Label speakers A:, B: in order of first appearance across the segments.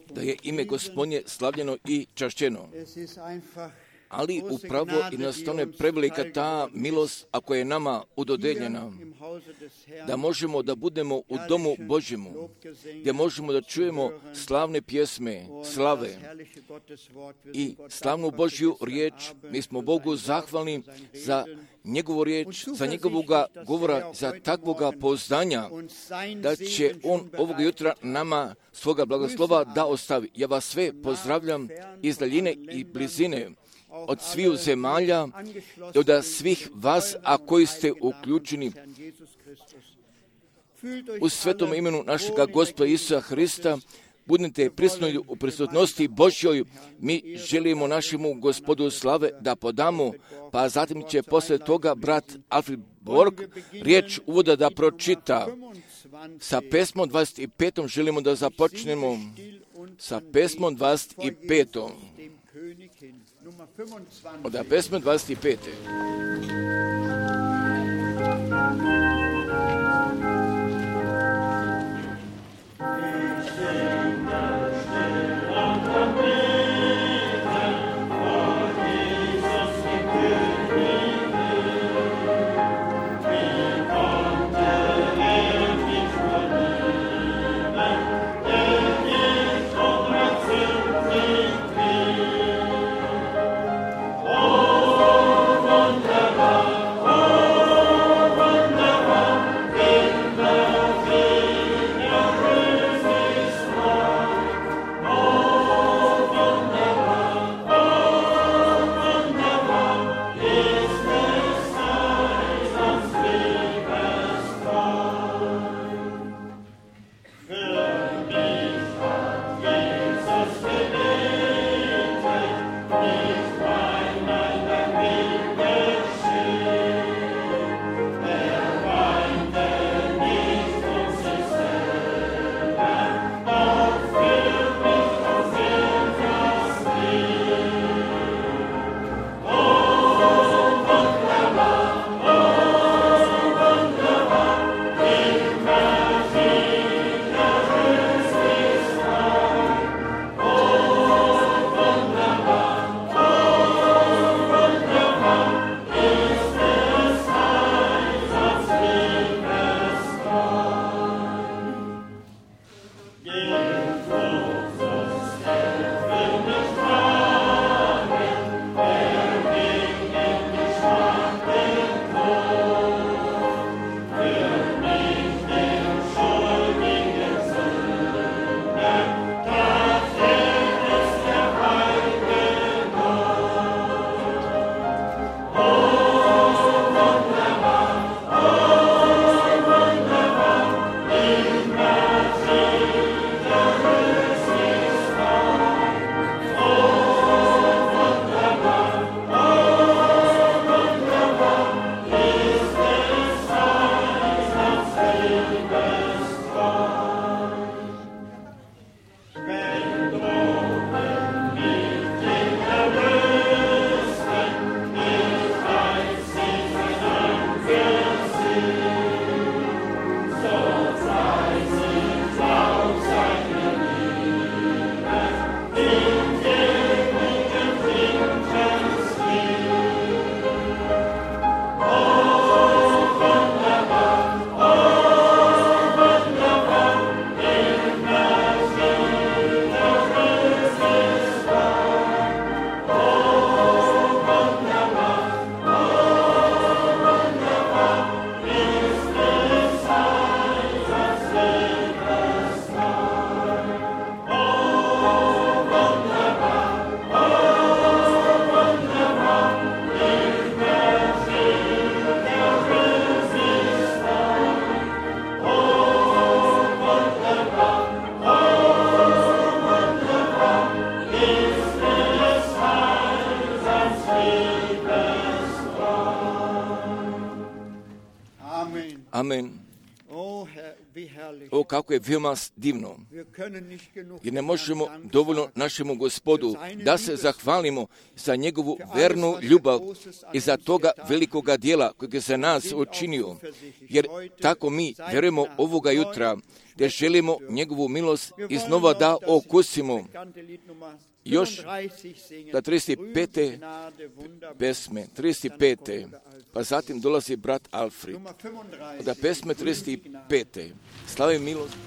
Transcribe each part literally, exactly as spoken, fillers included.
A: Da je ime Gospodnje slavljeno i čašćeno. Ali upravo jednostavno je prevelika ta milost, ako je nama udodeljena, da možemo da budemo u domu Božjemu, gdje možemo da čujemo slavne pjesme, slave i slavnu Božju riječ. Mi smo Bogu zahvalni za njegovu riječ, za njegovoga govora, za takvoga poznanja, da će on ovoga jutra nama svoga blagoslova da ostavi. Ja vas sve pozdravljam iz daljine i blizine, od sviju zemalja i od svih vas, a koji ste uključeni u svetom imenu našega Gospoda Isusa Hrista. Budite prisutni u prisutnosti Božjoj. Mi želimo našemu Gospodu slave da podamo, pa zatim će posle toga brat Alfred Borg riječ uvoda da pročita. Sa pesmom dvadeset pet želimo da započnemo. Sa pesmom dvadeset pet. Od pesme dvadeset pet. Amen. O, kako je veoma divno. I ne možemo dovoljno našemu Gospodu da se zahvalimo za njegovu vernu ljubav i za toga velikoga dijela kojeg je za nas učinio. Jer tako mi vjerujemo ovoga jutra gdje želimo njegovu milost iznova da okusimo. Još da trideset pete pesme, trideset pete pa zatim dolazi brat Alfred. Da pesme trideset pete Slavim milost.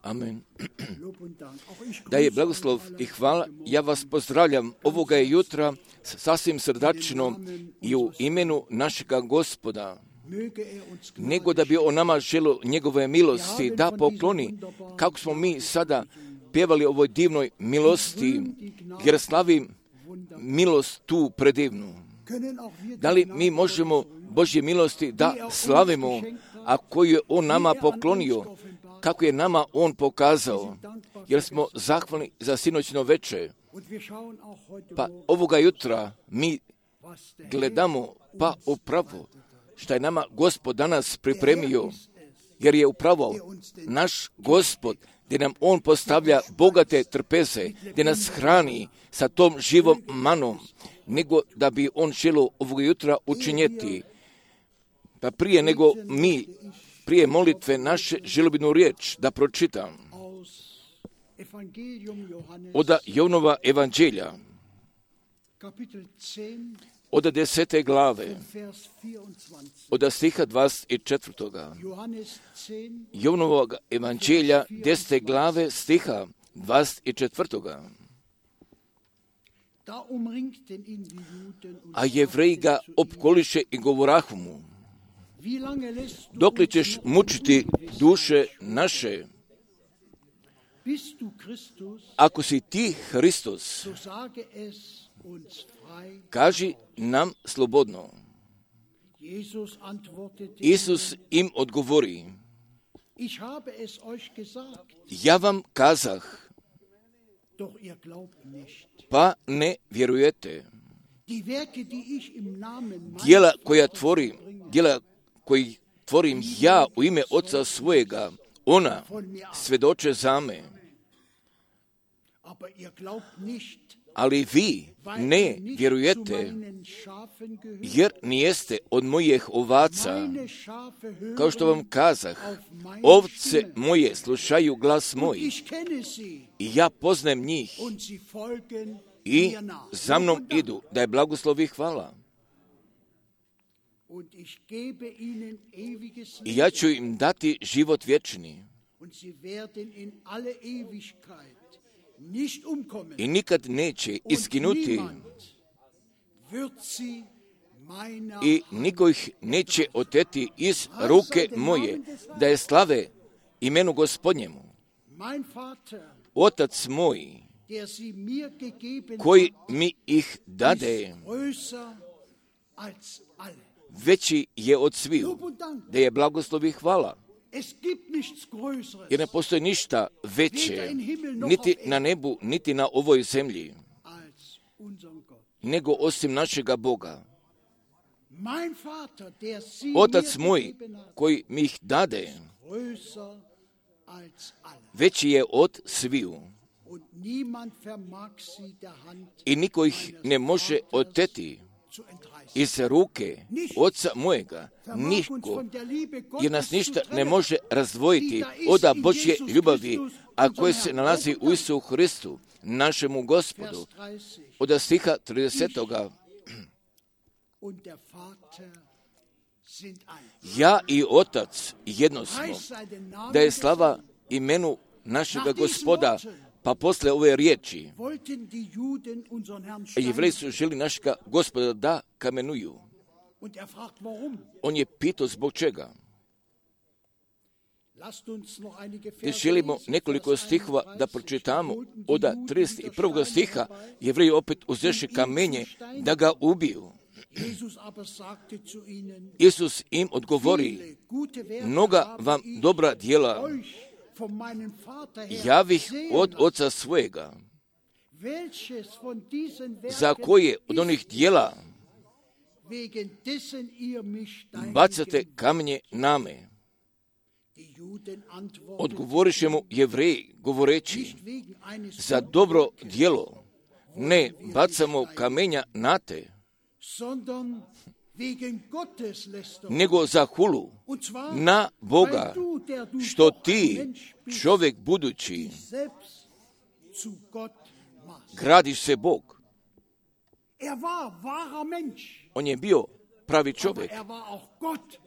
B: Amen.
A: Da je blagoslov i hvala, ja vas pozdravljam ovoga je jutra sasvim srdačno i u imenu našega Gospoda, nego da bi on nama želio njegove milosti da pokloni, kako smo mi sada pjevali ovoj divnoj milosti, jer slavim milost tu predivnu. Da li mi možemo Božje milosti da slavimo, a koju je on nama poklonio, kako je nama on pokazao, jer smo zahvalni za sinoćno veče. Pa ovoga jutra mi gledamo pa upravo što je nama Gospod danas pripremio, jer je upravo naš Gospod gdje nam on postavlja bogate trpeze, gdje nas hrani sa tom živom manom, nego da bi on želio ovoga jutra učinjeti. Pa prije nego mi, prije molitve naše, želio bi jednu riječ da pročitam od Jovnova evanđelja, od desete glave, od stiha dvadeset četvrtoga. Jovnovog evanđelja, desete glave, stiha dvadeset četvrtoga. A Jevreji ga opkoliše i govorahu mu: dokle ćeš mučiti duše naše? Ako si ti Hristos, kaži nam slobodno. Isus im odgovori: Ja vam kazah, pa ne vjerujete. Djela koja tvorim, djela koji tvorim ja u ime Oca svojega, ona svjedoče za me. Ali vi ne vjerujete, jer nijeste od mojih ovaca. Kao što vam kazah, ovce moje slušaju glas moj i ja poznajem njih i za mnom idu, da je blagoslov i hvala. I ja ću im dati život vječni. I nikad neće iskinuti i niko ih neće oteti iz ruke moje, da je slave imenu Gospodnjemu. Otac moj, koji mi ih dade, veći je od sviju, da je blagoslov i hvala. Jer ne postoji ništa veće, niti na nebu, niti na ovoj zemlji, nego osim našega Boga. Otac moj, koji mi ih dade, veći je od sviju. I niko ih ne može oteti iz ruke Oca mojega, niko, jer nas ništa ne može razdvojiti od Božje ljubavi, a koje se nalazi u Isusu Hristu, našemu Gospodu. Od stiha tridesetoga. Ja i Otac jedno smo, da je slava imenu našega Gospoda. Pa posle ove riječi, Jevreji su želi našega Gospoda da kamenuju. On je pitao zbog čega. Te želimo nekoliko stihova da pročitamo. Od trideset prvog stiha Jevreji opet uzeše kamenje da ga ubiju. Isus im odgovori, mnoga vam dobra djela javih od Oca svojega, za koje od onih djela bacate kamenje name. Odgovoriše mu Jevreji, govoreći, za dobro djelo ne bacamo kamenja na te, nego za hulu na Boga, što ti, čovjek budući, gradiš se Bog. On je bio pravi čovjek,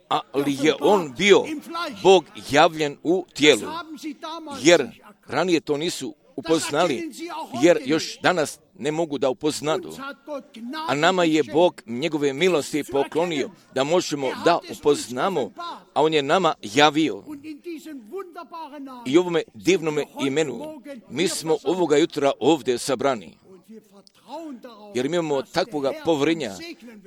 A: ali je on bio Bog javljen u tijelu, jer ranije to nisu upoznali, jer još danas ne mogu da upoznadu. A nama je Bog njegove milosti poklonio da možemo da upoznamo, a on je nama javio. I ovome divnome imenu mi smo ovoga jutra ovdje sabrani, jer mi imamo takvoga povjerenja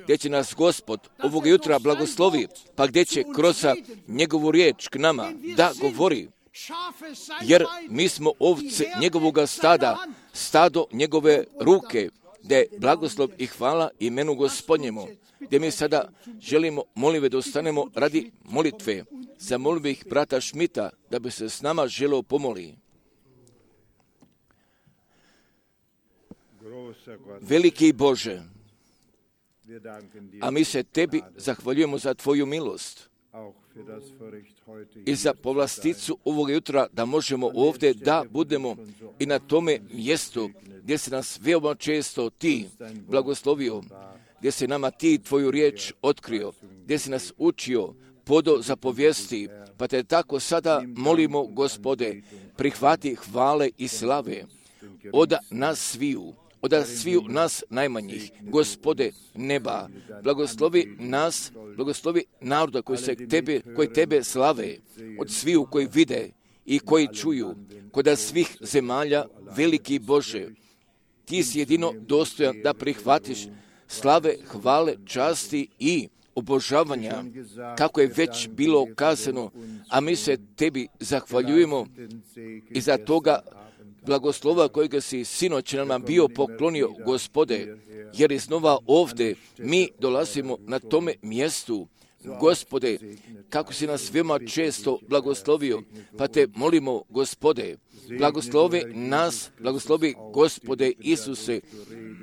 A: gdje će nas Gospod ovoga jutra blagoslovi, pa gdje će kroz njegovu riječ k nama da govori. Jer mi smo ovce njegovoga stada, stado njegove ruke, da je blagoslov i hvala imenu Gospodnjemu, gdje mi sada želimo molive da ostanemo radi molitve. Zamolio bih brata Šmita da bi se s nama želeo pomoli. Veliki Bože, a mi se tebi zahvaljujemo za tvoju milost i za povlasticu ovog jutra da možemo ovdje da budemo i na tome mjestu gdje se nas veoma često ti blagoslovio, gdje se nama ti tvoju riječ otkrio, gdje si nas učio podo zapovijesti, pa te tako sada molimo, Gospode, prihvati hvale i slave od nas sviju, od sviju nas najmanjih, Gospode neba, blagoslovi nas, blagoslovi naroda koji se tebe, koji tebe slave, od sviju koji vide i koji čuju, kod svih zemalja, veliki Bože, ti si jedino dostojan da prihvatiš slave, hvale, časti i obožavanja, kako je već bilo kazano, a mi se tebi zahvaljujemo i za toga blagoslova kojega si sinoć nama bio poklonio, Gospode, jer iznova ovdje mi dolazimo na tome mjestu, Gospode, kako si nas veoma često blagoslovio, pa te molimo, Gospode, blagoslovi nas, blagoslovi Gospode Isuse,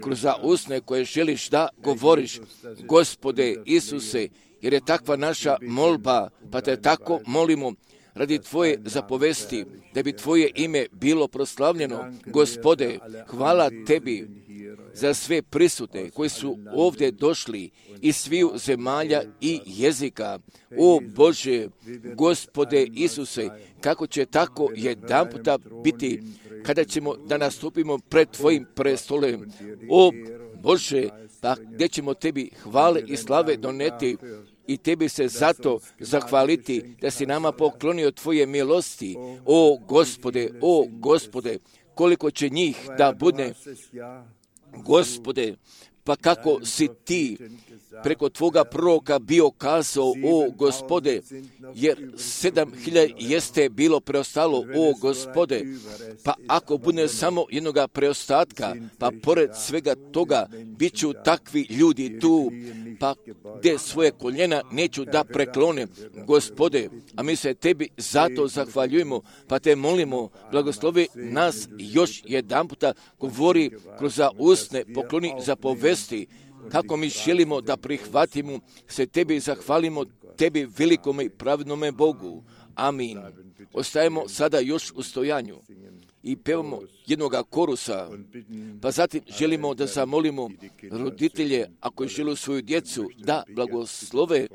A: kroz usne koje želiš da govoriš, Gospode Isuse, jer je takva naša molba, pa te tako molimo, radi Tvoje zapovesti, da bi Tvoje ime bilo proslavljeno. Gospode, hvala Tebi za sve prisutne koji su ovdje došli iz sviju zemalja i jezika. O Bože, Gospode Isuse, kako će tako jedan puta biti kada ćemo da nastupimo pred Tvojim prestolem. O Bože, pa gdje ćemo Tebi hvale i slave doneti i Tebi se zato zahvaliti da si nama poklonio Tvoje milosti. O Gospode, o Gospode, koliko će njih da bude, Gospode, pa kako si Ti preko Tvoga proroka bio kazao, o Gospode, jer sedam hiljada jeste bilo preostalo, o Gospode, pa ako bude samo jednoga preostatka, pa pored svega toga, bit ću takvi ljudi tu, pa gdje svoje koljena neću da preklonem, Gospode, a mi se Tebi zato zahvaljujemo, pa te molimo, blagoslovi nas još jedan puta, govori kroz usne, pokloni zapovesti, kako mi želimo da prihvatimo, se Tebi zahvalimo, Tebi velikome i pravednome Bogu. Amin. Ostajemo sada još u stojanju i pevamo jednoga korusa, pa zatim želimo da zamolimo roditelje, ako žele svoju djecu, da blagoslove,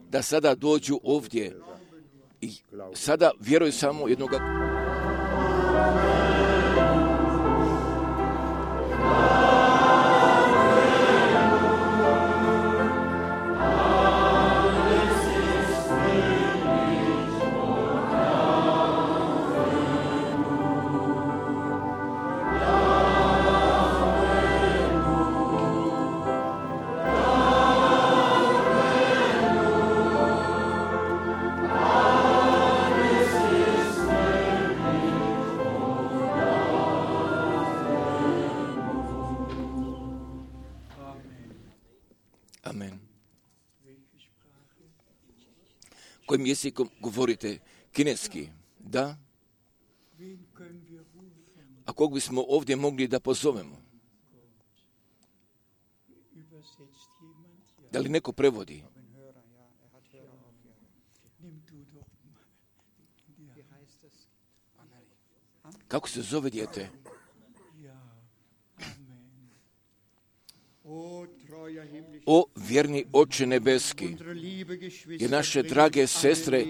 A: da sada dođu ovdje. I sada vjeruj samo jednoga kojim jezikom govorite? Kineski, da? A kog bismo ovdje mogli da pozovemo? Da li neko prevodi? Kako se zove dijete? O vjerni Oče nebeski, jer naše drage sestre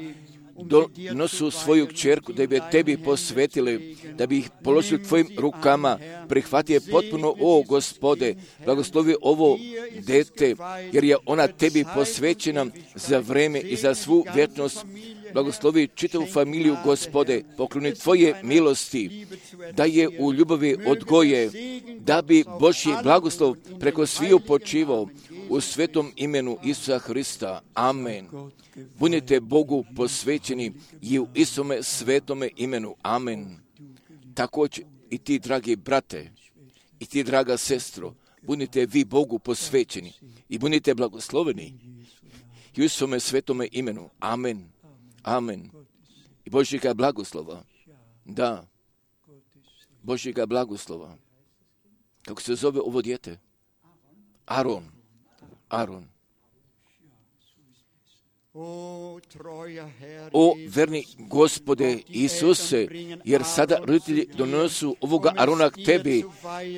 A: donosu svoju kćerku da bi je Tebi posvetili, da bi ih položili Tvojim rukama, prihvati je potpuno, o Gospode, blagoslovi ovo dete, jer je ona Tebi posvećena za vreme i za svu vječnost. Blagoslovi čitavu familiju, Gospode, pokloni Tvoje milosti, da je u ljubavi odgoje, da bi Božji blagoslov preko sviju počivao u svetom imenu Isusa Hrista. Amen. Budite Bogu posvećeni i u istome svetome imenu. Amen. Također i ti, dragi brate, i ti, draga sestro, budite vi Bogu posvećeni i budite blagosloveni i u istome svetome imenu. Amen. Amen. I Božjega blagoslova. Da. Božjega blagoslova. Kako se zove ovo dijete? Aron. Aron. O verni Gospode Isuse, jer sada roditelji donosu ovoga Arona k Tebi,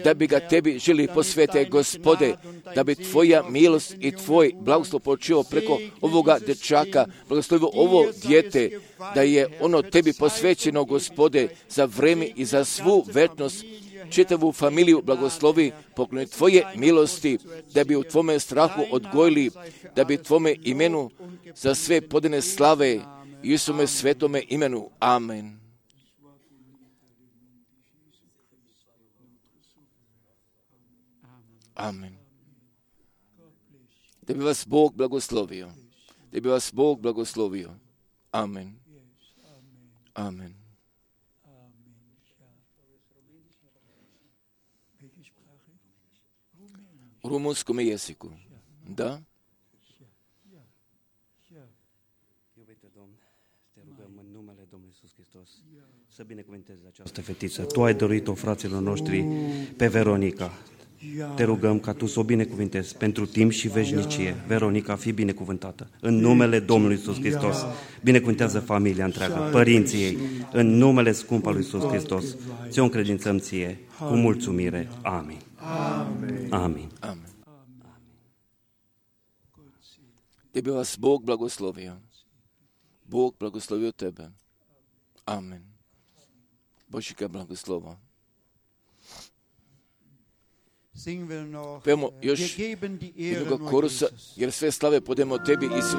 A: da bi ga Tebi želi posvete, Gospode, da bi Tvoja milost i Tvoj blagoslov počeo preko ovoga dečaka, blagoslovio ovo dijete, da je ono Tebi posvećeno, Gospode, za vreme i za svu večnost. Čitavu familiju blagoslovi, pokloni Tvoje milosti, da bi u Tvome strahu odgojili, da bi Tvome imenu za sve podane slave i Isuse svetome imenu. Amen. Amen. Da bi vas Bog blagoslovio. Da bi vas Bog blagoslovio. Amen. Amen. U rumunskom jeziku. Da?
B: Să binecuvântezi această fetiță. Tu ai dorit-o, fraților noștri, pe Veronica. Te rugăm ca tu să o binecuvântezi pentru timp și veșnicie. Veronica, fii binecuvântată. În numele Domnului Iisus Hristos. Binecuvântează familia întreagă, părinții ei. În numele scump al lui Iisus Hristos. Ți-o încredințăm ție cu mulțumire. Amin. Amin. Amin.
A: Amen. Da bi vas Bog blagoslovio. Bog blagoslovio tebe. Amen. Božíka blagoslova. Pevamo još jednog korusa, jer sve slave podemo tebi, Isu.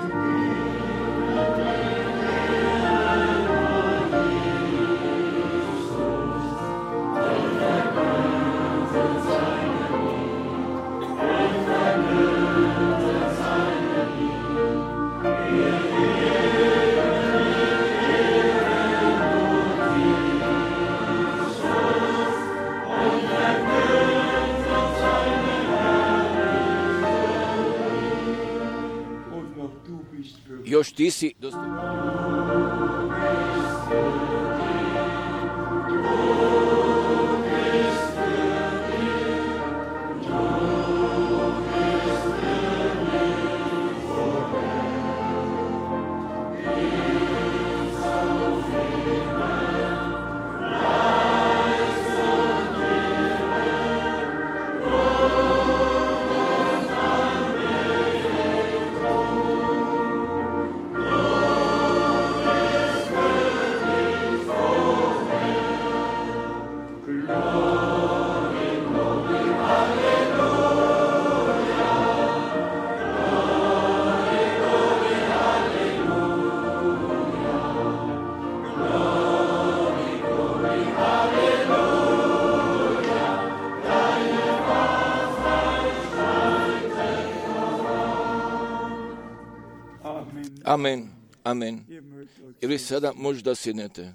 A: Još ti si dostojan. Amen, amen. I vi sada možda sjednete.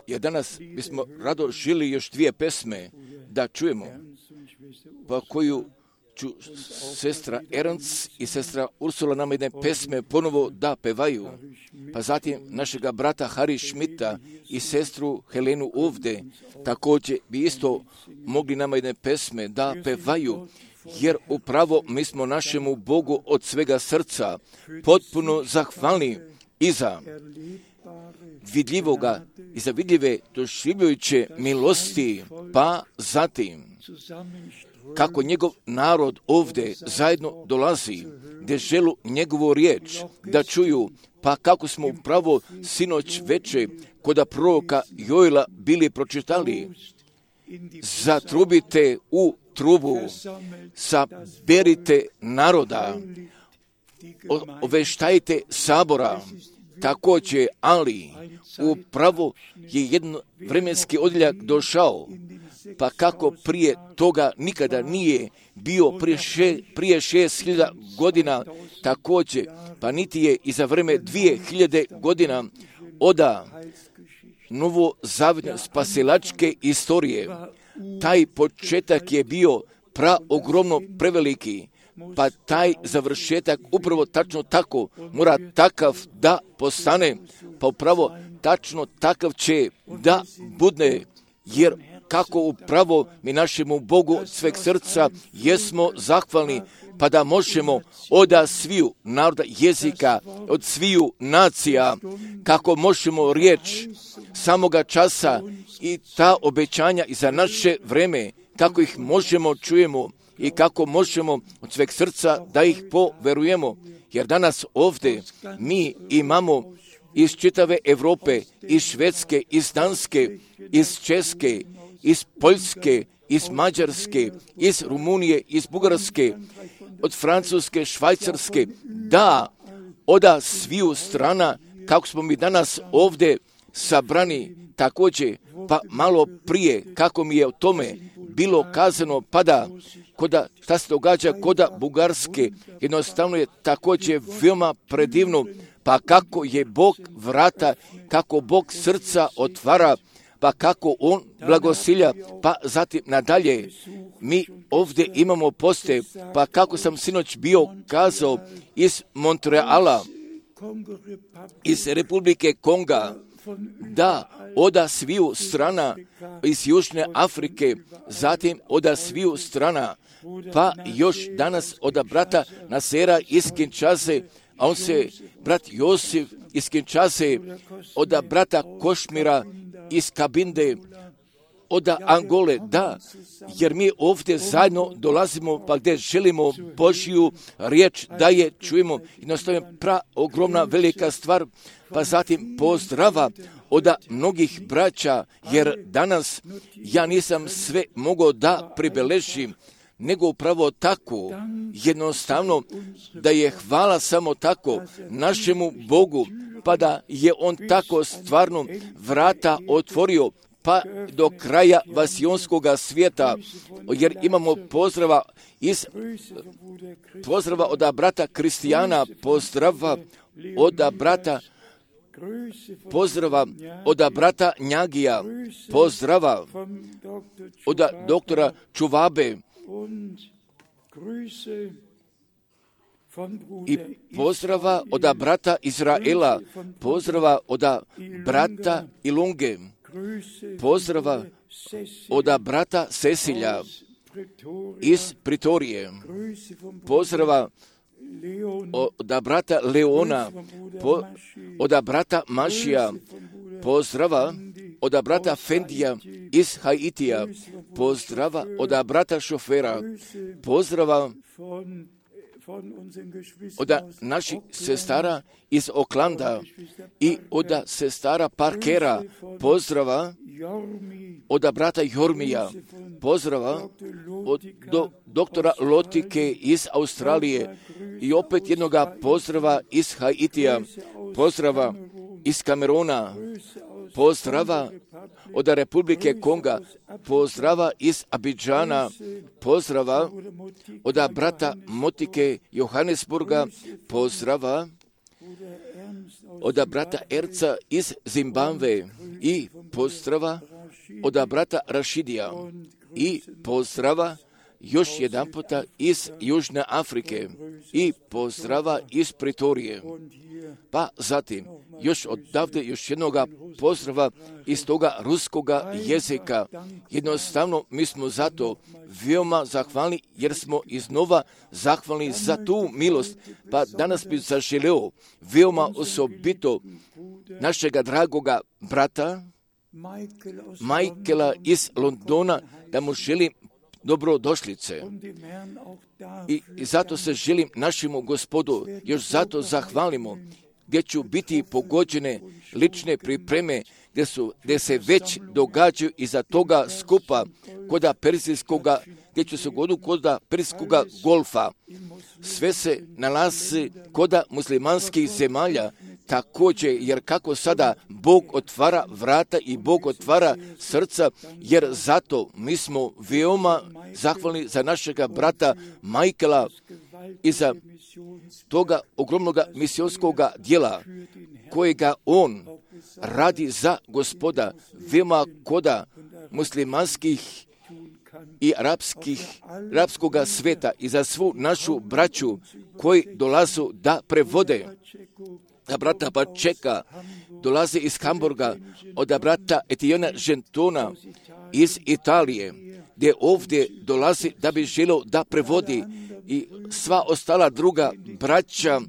A: Jer danas bismo rado žili još dvije pesme da čujemo, pa koju ću sestra Ernst i sestra Ursula nam jedne pesme ponovo da pevaju, pa zatim našega brata Harry Schmidta i sestru Helenu ovdje također bi isto mogli nama jedne pesme da pevaju, jer upravo mi smo našemu Bogu od svega srca potpuno zahvalni i za vidljivoga i za vidljive doživljujuće milosti, pa zatim kako njegov narod ovdje zajedno dolazi, gdje želu njegovu riječ da čuju, pa kako smo upravo sinoć veče koda proroka Joela bili pročitali, zatrubite u trubu, saberite naroda, oveštajte sabora, također, ali upravo je jedan vremenski odjeljak došao, pa kako prije toga nikada nije bio prije, še, prije šest hiljada godina, također, pa niti je i za vreme dvije hiljade godina oda novozavetne spasilačke istorije. Taj početak je bio praogromno preveliki, pa taj završetak upravo tačno tako mora takav da postane, pa upravo tačno takav će da budne, jer kako upravo mi našemu Bogu od sveg srca jesmo zahvalni, pa da možemo od sviju naroda jezika, od sviju nacija, kako možemo riječ samoga časa i ta obećanja i za naše vreme, kako ih možemo čujemo i kako možemo od sveg srca da ih poverujemo. Jer danas ovdje mi imamo iz čitave Europe, iz Švedske, iz Danske, iz Česke, iz Poljske, iz Mađarske, iz Rumunije, iz Bugarske, od Francuske, Švajcarske, da, oda sviju strana, kako smo mi danas ovdje sabrani također, pa malo prije, kako mi je o tome bilo kazano, pada, koda, šta se događa koda Bugarske, jednostavno je također veoma predivno, pa kako je Bog vrata, kako Bog srca otvara, pa kako On blagosilja, pa zatim nadalje. Mi ovdje imamo poste, pa kako sam sinoć bio kazao iz Montreala, iz Republike Konga, da oda sviju strana iz Južne Afrike, zatim oda sviju strana, pa još danas oda brata Nasera iz Kinshase, a on se, brat Josif iz Kinshase, oda brata Košmira iz Kabinde, oda Angole, da, jer mi ovdje zajedno dolazimo pa gdje želimo Božju riječ da je čujemo. Jednostavno pra ogromna velika stvar, pa zatim pozdrava oda mnogih braća, jer danas ja nisam sve mogao da pribeležim, nego upravo tako, jednostavno, da je hvala samo tako našemu Bogu, pa da je On tako stvarno vrata otvorio, pa do kraja vasijonskoga svijeta, jer imamo pozdrava iz pozdrava od brata Kristijana, pozdrava od brata pozdrava od brata Njagija, pozdrava od doktora Čuvabe i pozdrava od brata Izraela, pozdrava od brata Ilunge, pozdrava od brata Cecilja iz Pritorije, pozdrava od brata Leona, po, od brata Mašija, pozdrava od brata Fendija iz Haitija, pozdrava od brata Šofera, pozdrava od naših sestara iz Oklanda i od sestara Parkera, pozdrava od brata Jormija, pozdrava od do, doktora Lotike iz Australije i opet jednoga pozdrava iz Haitija, pozdrava iz Kamerona, pozdrava od Republike Konga, pozdrava iz Abidžana, pozdrava od brata Motike Johannesburga, pozdrava od brata Erca iz Zimbabve i pozdrava od brata Rašidija i pozdrava još jedan puta iz Južne Afrike i pozdrava iz Pritorije. Pa zatim još odavde još jednoga pozdrava iz toga ruskoga jezika. Jednostavno mi smo zato veoma zahvalni jer smo iznova zahvalni za tu milost. Pa danas bih zaželeo veoma osobito našega dragoga brata Michaela iz Londona da mu želim dobrodošlice. I, I zato se želim našemu Gospodu još zato zahvalimo, gdje ću biti pogođene lične pripreme, gdje, su, gdje se već događaju iza toga skupa koda perzijskoga, gdje ću se godu koda perzijskoga golfa. Sve se nalazi koda muslimanskih zemalja, također, jer kako sada Bog otvara vrata i Bog otvara srca, jer zato mi smo veoma zahvalni za našega brata Michaela i za toga ogromnog misionskoga dijela kojega on radi za Gospoda, veoma koda muslimanskih i arapskih, arapskoga sveta i za svu našu braću koji dolazu da prevode. Da brata Pačeka dolaze iz Hamburga, od brata Etiona Gentona iz Italije, gdje ovdje dolazi da bi želio da prevodi i sva ostala druga braća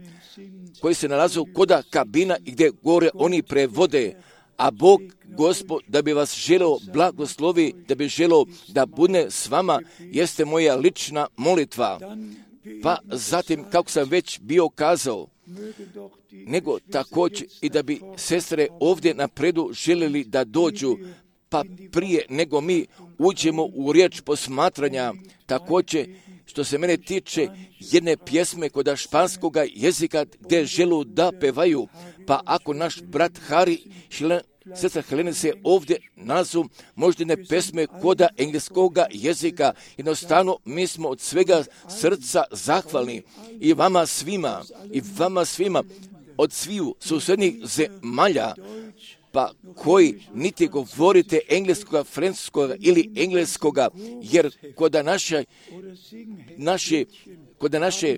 A: koji se nalazu koda kabina i gdje gore oni prevode, a Bog, Gospod, da bi vas želeo blagoslovi, da bi želeo da bude s vama, jeste moja lična molitva. Pa zatim, kako sam već bio kazao, nego također i da bi sestre ovdje napredu željeli da dođu, pa prije nego mi uđemo u riječ posmatranja, također što se mene tiče jedne pjesme kod španskoga jezika gdje želu da pevaju, pa ako naš brat Hari Šilen, sestra Helene se ovdje nalazu, možda ne pesme koda engleskoga jezika, jednostavno mi smo od svega srca zahvalni i vama svima, i vama svima od sviju susjednih zemalja, pa koji niti govorite engleskoga, francuskoga ili engleskoga, jer kod naše, naše, kod naše,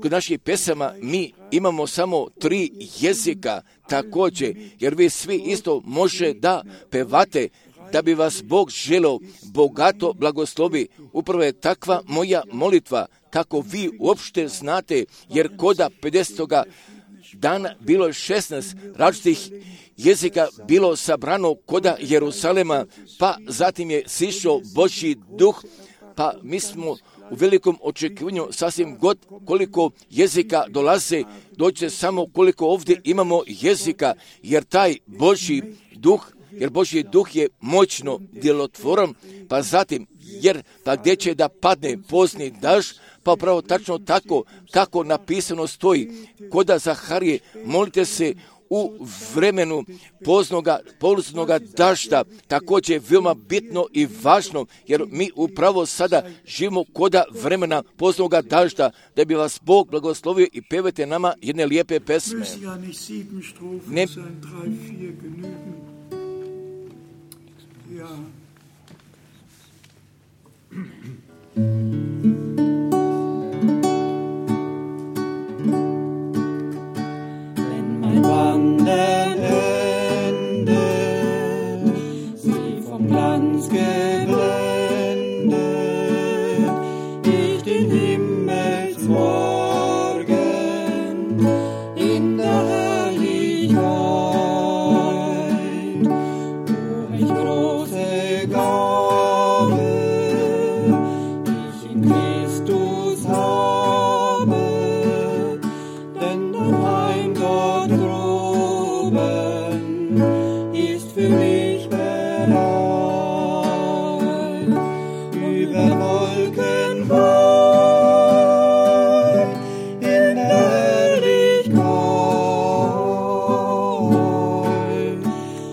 A: kod naših pesama mi imamo samo tri jezika također, jer vi svi isto može da pevate, da bi vas Bog želeo bogato blagoslovi. Upravo je takva moja molitva, kako vi uopšte znate, jer koda pedesetoga dana bilo je šesnaest različitih jezika bilo sabrano koda Jerusalema, pa zatim je sišao Božji duh, pa mi smo u velikom očekivanju sasvim god koliko jezika dolaze, dođe samo koliko ovdje imamo jezika, jer taj Božji duh, jer Božji duh je moćno djelotvoran, pa zatim, jer pa gdje će da padne pozni dažd, pa upravo tačno tako kako napisano stoji, koda Zaharije, molite se u vremenu poznoga, poznoga dažda, također je veoma bitno i važno, jer mi upravo sada živimo koda vremena poznoga dažda, da bi vas Bog blagoslovio i pevajte nama jedne lijepe pesme. Ne,
C: Wandern endet, sie vom Glanz geblendet, ich den Himmelsmorgen in der Herrlichkeit, wo ich große Gabe, ich in Christus habe, denn dein Heim dort ist für mich bereit, über Wolken weit, in der Herrlichkeit,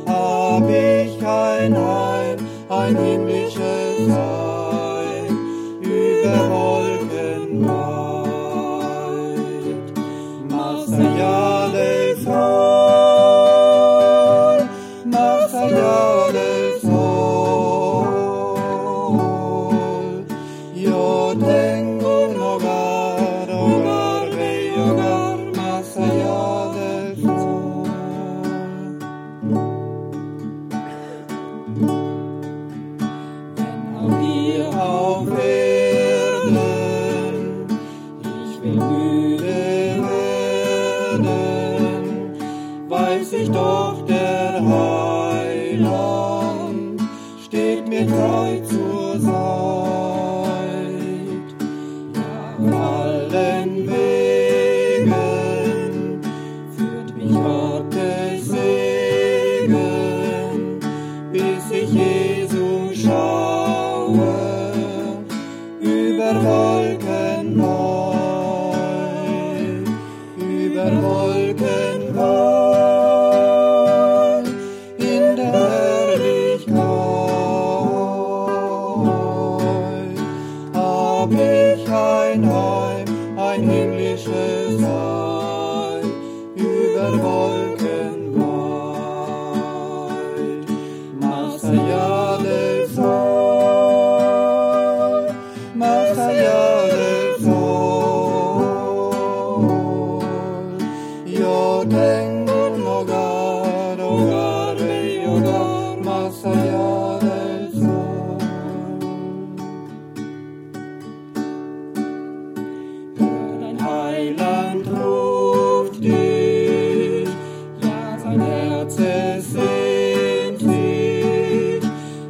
C: hab ich kein Heim, ein himmlisches Heim, über Wolken weit, Master del Sol. Allá del sol, yo tengo un hogar, hogar, bello hogar, más allá del sol. Wenn auch hier auf Erden ich will müde werden, weiß ich doch, der Heiland steht mir treu zur Seite. Ja, auf allen Wegen führt mich Gottes Segen, bis ich Jesus schaue, über Wolken weit, über Wolken weit. Ein himmlisches Heim, über Wolken weit, más allá del sol, más allá del sol. Yo tengo un hogar, hogar, bello hogar, más allá del sol. Heiland ruft dich, ja, sein Herz es sehnt dich,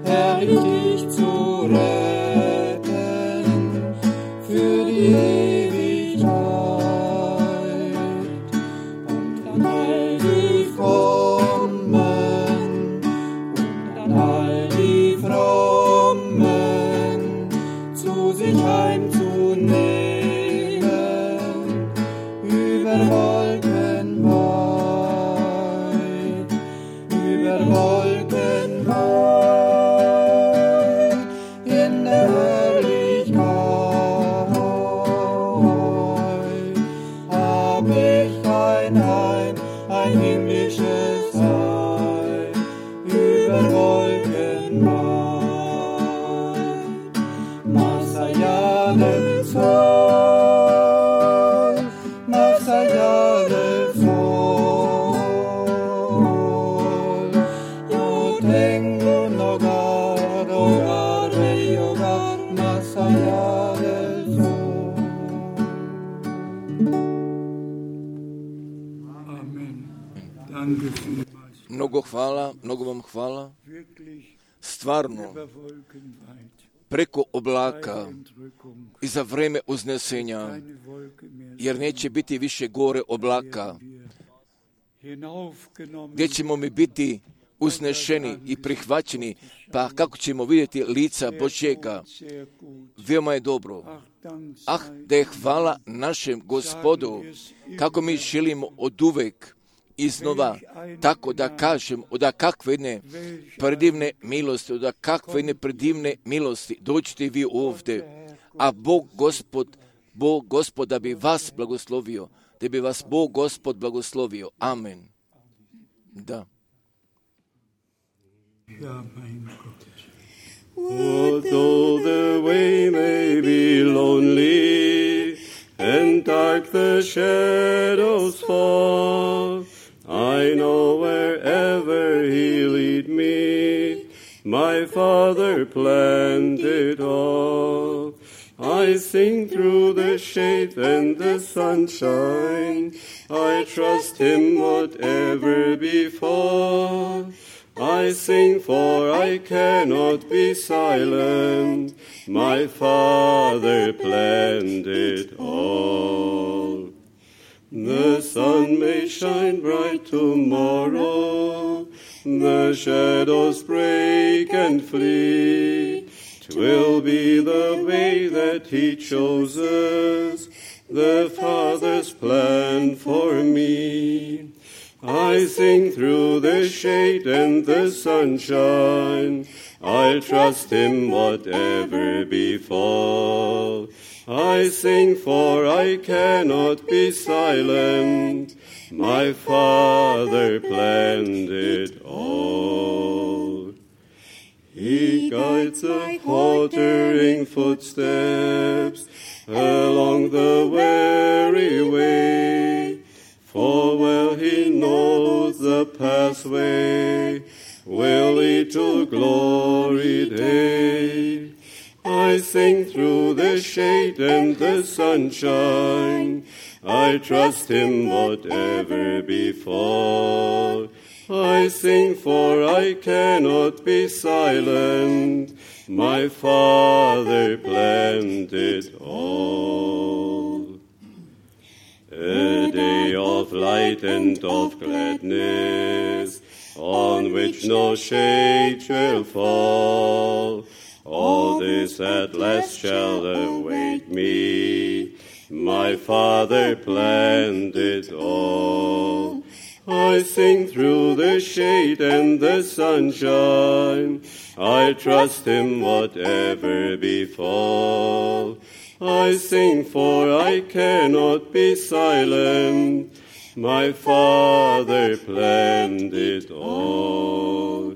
C: herrlich dich zu retten für die Ewigkeit. Und dann ein Heim, ein himmlisches Heim, über Wolken weit. Masayale Sol, Masayale Sol, yo tengo un hogar, hogar, mi hogar, Masayale Sol. Amen. Danke vielmals.
A: Mnogo hvala, mnogo vam hvala. Stvarno, preko oblaka i za vreme uznesenja, jer neće biti više gore oblaka, gdje ćemo mi biti uznešeni i prihvaćeni, pa kako ćemo vidjeti lica Božjega. Veoma je dobro. Ah, da je hvala našem Gospodu, kako mi želimo oduvek iznova, tako da kažem, od kakve jedne predivne milosti, od kakve jedne predivne milosti, dođite vi ovdje, a Bog Gospod, Bog Gospod da bi vas blagoslovio, da bi vas Bog Gospod blagoslovio. Amen. Da.
D: Although the way may be lonely and dark the shadows fall, I know wherever He lead me, my Father planned it all. I sing through the shade and the sunshine, I trust Him whatever befall. I sing for I cannot be silent, my Father planned it all. The sun may shine bright tomorrow, the shadows break and flee. 'Twill be the way that He chooses, the Father's plan for me. I sing through the shade and the sunshine, I'll trust Him whatever befall. I sing for I cannot be silent, my Father planned it all. He guides the faltering footsteps along the weary way, for well He knows the pathway will lead to glory day. I sing through the shade and the sunshine, I trust Him whatever befall. I sing for I cannot be silent, my Father planned it all. A day of light and of gladness, on which no shade shall fall. All this at last shall await me, my Father planned it all. I sing through the shade and the sunshine, I trust Him whatever befall. I sing for I cannot be silent, my Father planned it all.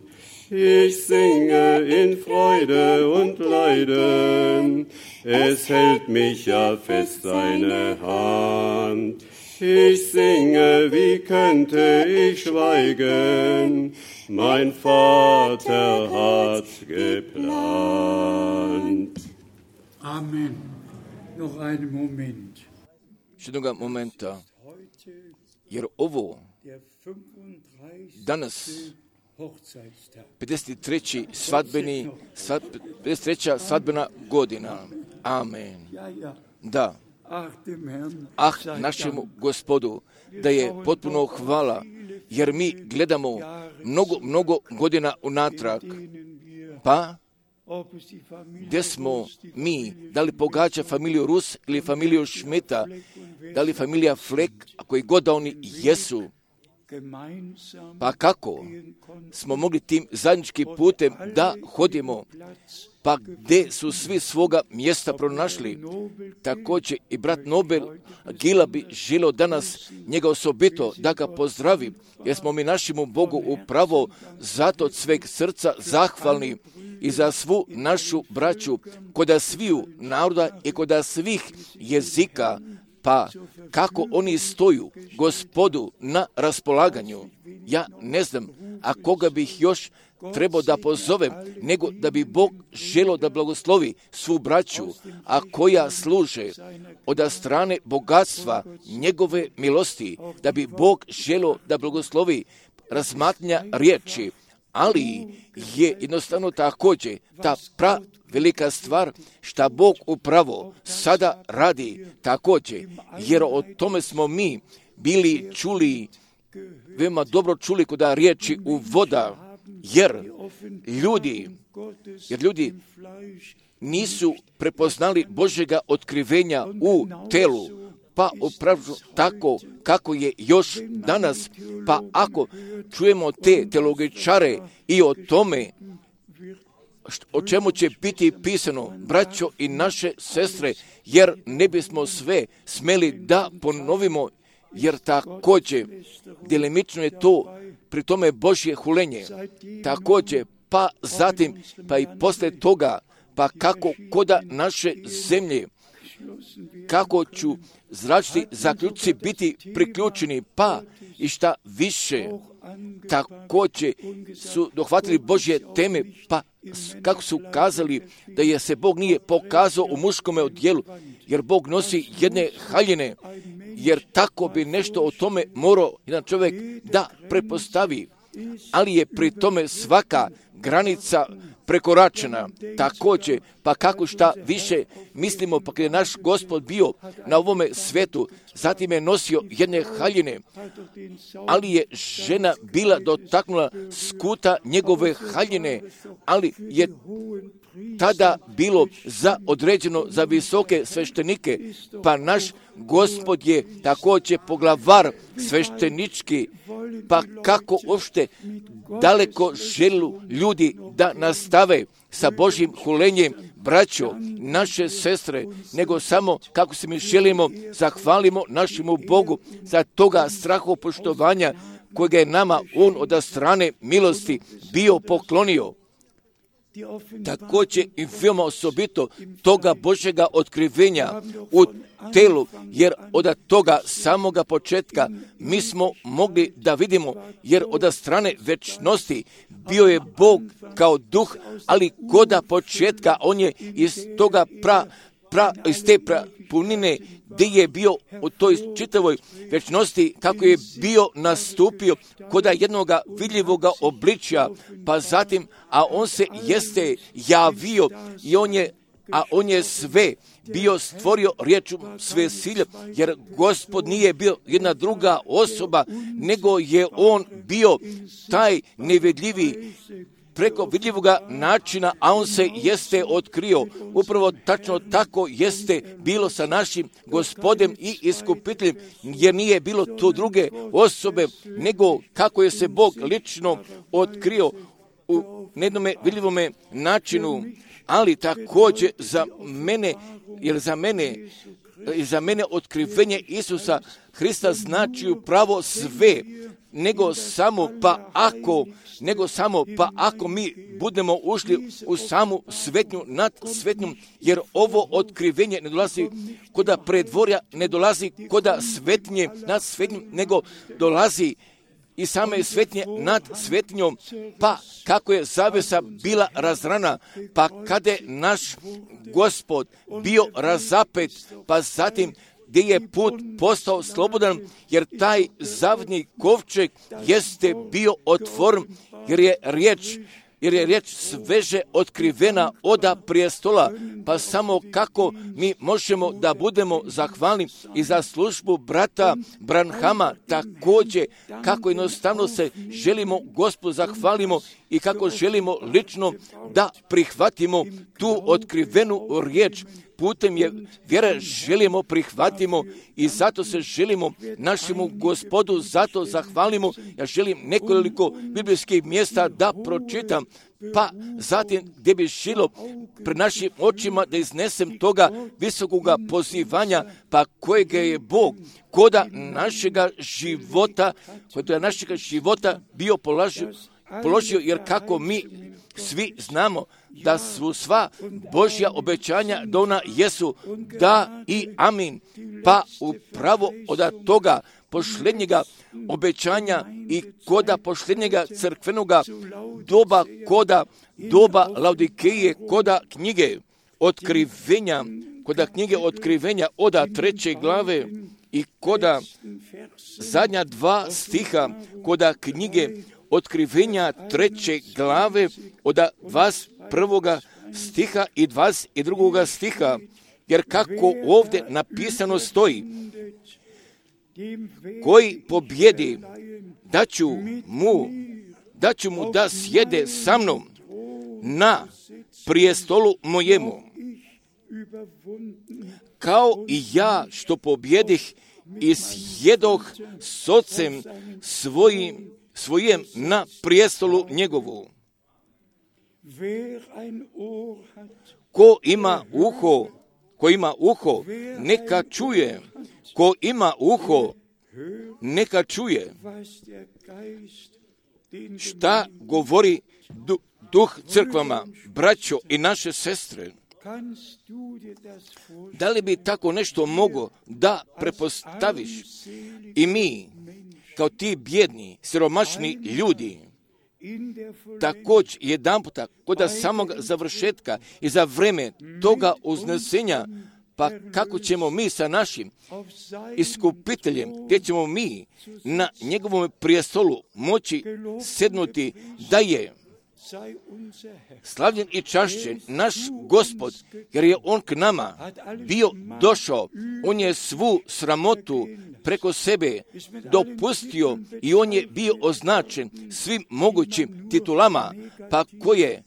D: Ich singe in Freude und Leiden, es hält mich ja fest seine Hand. Ich singe, wie könnte ich schweigen, mein Vater hat geplant.
C: Amen. Noch einen Moment.
A: Jednoga momenta, jer ovo danas pedeset treći svadbeni, svad, pedeset treća svadbena godina. Amen. Da. Ah, našemu Gospodu, da je potpuno hvala, jer mi gledamo mnogo, mnogo godina unatrag. Pa, gdje smo mi, da li pogađa familiju Rus ili familiju Šmita, da li familija Flek, a koji god da oni jesu, Pa kako smo mogli tim zajedničkim putem da hodimo, pa gdje su svi svoga mjesta pronašli. Također i brat Nobel Gila bi želio danas njega osobito da ga pozdravi, jer smo mi našemu Bogu upravo zato od sveg srca zahvalni i za svu našu braću koda sviju naroda i koda svih jezika, pa kako oni stoju Gospodu na raspolaganju. Ja ne znam, a koga bih još trebao da pozovem, nego da bi Bog želio da blagoslovi svu braću, a koja služe od strane bogatstva njegove milosti, da bi Bog želio da blagoslovi razmatnja riječi, ali je jednostavno također ta pra velika stvar šta Bog upravo sada radi također, jer o tome smo mi bili čuli, veoma dobro čuli koda riječi u voda, jer ljudi, jer ljudi nisu prepoznali Božjega otkrivenja u telu, pa upravo tako kako je još danas. Pa ako čujemo te teologičare i o tome o čemu će biti pisano, braćo i naše sestre, jer ne bismo sve smeli da ponovimo, jer također delimično je to pri tome Božje hulenje. Također, pa zatim, pa i poslije toga, pa kako koda naše zemlje, kako ću zračni zaključci biti priključeni, pa i šta više, također su dohvatili Božje teme, pa kako su kazali da je se Bog nije pokazao u muškome odjelu, jer Bog nosi jedne haljine, jer tako bi nešto o tome morao jedan čovjek da prepostavi, ali je pri tome svaka granica prekoračena. Također, pa kako šta više mislimo, pa kad je naš Gospod bio na ovome svetu, zatim je nosio jedne haljine, ali je žena bila dotaknula skuta njegove haljine, ali je tada bilo za određeno za visoke sveštenike, pa naš Gospod je također poglavar sveštenički, pa kako uopšte daleko želu ljudi da nastave sa Božjim hulenjem, braćo, naše sestre, nego samo kako se mi želimo, zahvalimo našemu Bogu za toga strahopoštovanja kojega je nama On od strane milosti bio poklonio. Također i veoma osobito toga Božjega otkrivenja u telu, jer od toga samoga početka mi smo mogli da vidimo, jer od strane večnosti bio je Bog kao duh, ali koda početka on je iz toga pra, pra, iz te pra, punine gdje je bio u toj čitavoj večnosti, kako je bio nastupio koda jednoga vidljivoga obličja, pa zatim, a on se jeste javio i on je, a on je sve bio stvorio riječu sve silje, jer Gospod nije bio jedna druga osoba, nego je on bio taj nevidljivi preko vidljivoga načina, a on se jeste otkrio. Upravo tačno tako jeste bilo sa našim Gospodem i iskupiteljem, jer nije bilo to druge osobe, nego kako je se Bog lično otkrio u jednome vidljivome načinu, ali također za mene, jer za mene, za mene otkrivenje Isusa Hrista znači upravo sve, nego samo pa ako, nego samo pa ako mi budemo ušli u samu svetnju nad svetnjom, jer ovo otkrivenje ne dolazi koda predvorja, ne dolazi koda svetnje nad svetnjom, nego dolazi i same svetnje nad svetnjom, pa kako je zavesa bila razrana, pa kada je naš Gospod bio razapet, pa zatim gdje je put postao slobodan, jer taj zavidni kovčeg jeste bio otvoren, jer je riječ, jer je riječ sveže otkrivena oda prijestola, pa samo kako mi možemo da budemo zahvalni i za službu brata Branhama, također kako jednostavno se želimo Gospodu zahvalimo i kako želimo lično da prihvatimo tu otkrivenu riječ, putem je vjera želimo prihvatimo i zato se želimo našemu Gospodu, zato zahvalimo. Ja želim nekoliko biblijskih mjesta da pročitam, pa zatim gdje bi želio pred našim očima da iznesem toga visokoga pozivanja, pa kojega je Bog koda našega života, koda našega života bio položio, položio, jer kako mi svi znamo da su sva Božja obećanja da ona jesu da i amin, pa upravo od toga posljednjega obećanja i koda posljednjega crkvenoga doba, koda doba Laodikeje, koda knjige otkrivenja, koda knjige otkrivenja oda treće glave i koda zadnja dva stiha, koda knjige otkrivenja treće glave od dvadeset prvoga stiha i dvadeset drugoga stiha, jer kako ovdje napisano stoji, koji pobjedi, daću mu, daću mu da sjede sa mnom na prijestolu mojemu, kao i ja što pobjedih i sjedoh s ocem svojim, svojem na prijestolu njegovu. Ko ima uho, ko ima uho, neka čuje. Ko ima uho, neka čuje šta govori du, duh crkvama, braćo i naše sestre. Da li bi tako nešto mogo da prepostaviš i mi, kao ti bjedni, siromašni ljudi, također jedan puta, kod samog završetka i za vreme toga uznesenja, pa kako ćemo mi sa našim iskupiteljem, gdje ćemo mi na njegovom prijestolu moći sednuti, da je slavljen i čašćen naš Gospod, jer je on k nama bio došao, on je svu sramotu preko sebe dopustio i on je bio označen svim mogućim titulama, pa koje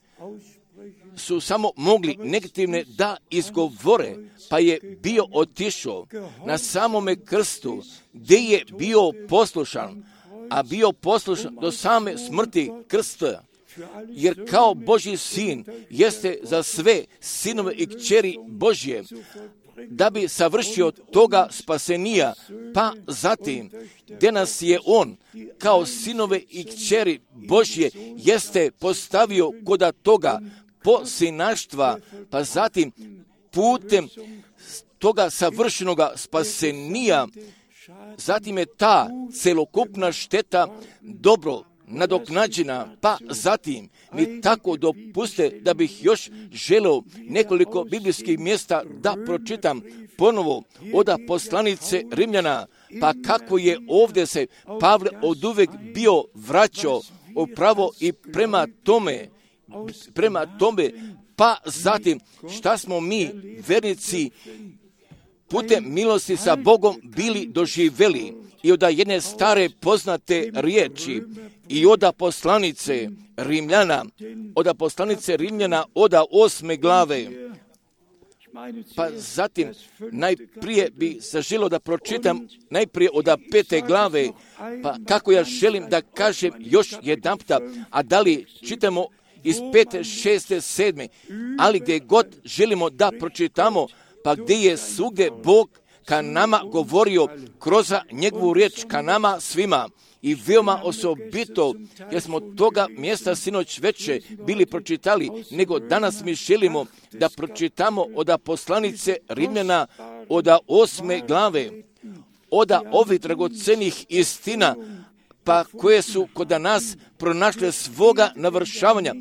A: su samo mogli negativne da izgovore, pa je bio otišao na samome krstu, gdje je bio poslušan, a bio poslušan do same smrti krsta, jer kao Božji sin jeste za sve sinove i kćeri Božje, da bi savršio toga spasenija, pa zatim, gdje nas je on, kao sinove i kćeri Božje, jeste postavio koda toga posinaštva, pa zatim putem toga savršenoga spasenija, zatim je ta celokupna šteta dobro nadoknađena, pa zatim mi tako dopuste da bih još želeo nekoliko biblijskih mjesta da pročitam ponovo od poslanice Rimljana, pa kako je ovdje se Pavle oduvek bio vraćao upravo i prema tome, prema tome, pa zatim šta smo mi vernici putem milosti sa Bogom bili doživjeli i od jedne stare poznate riječi i od poslanice Rimljana, od poslanice Rimljana od osme glave. Pa zatim najprije bi zaželio da pročitam najprije od pete glave, pa kako ja želim da kažem još jedan puta, a da li čitamo iz pete, šeste, sedme, ali gdje god želimo da pročitamo, pa gdje je svugdje Bog ka nama govorio kroz njegovu riječ ka nama svima i veoma osobito, jer smo toga mjesta sinoć veće bili pročitali, nego danas mi želimo da pročitamo od poslanice Rimljana od osme glave, od ovih dragocenih istina, pa koje su kod nas pronašle svoga navršavanja.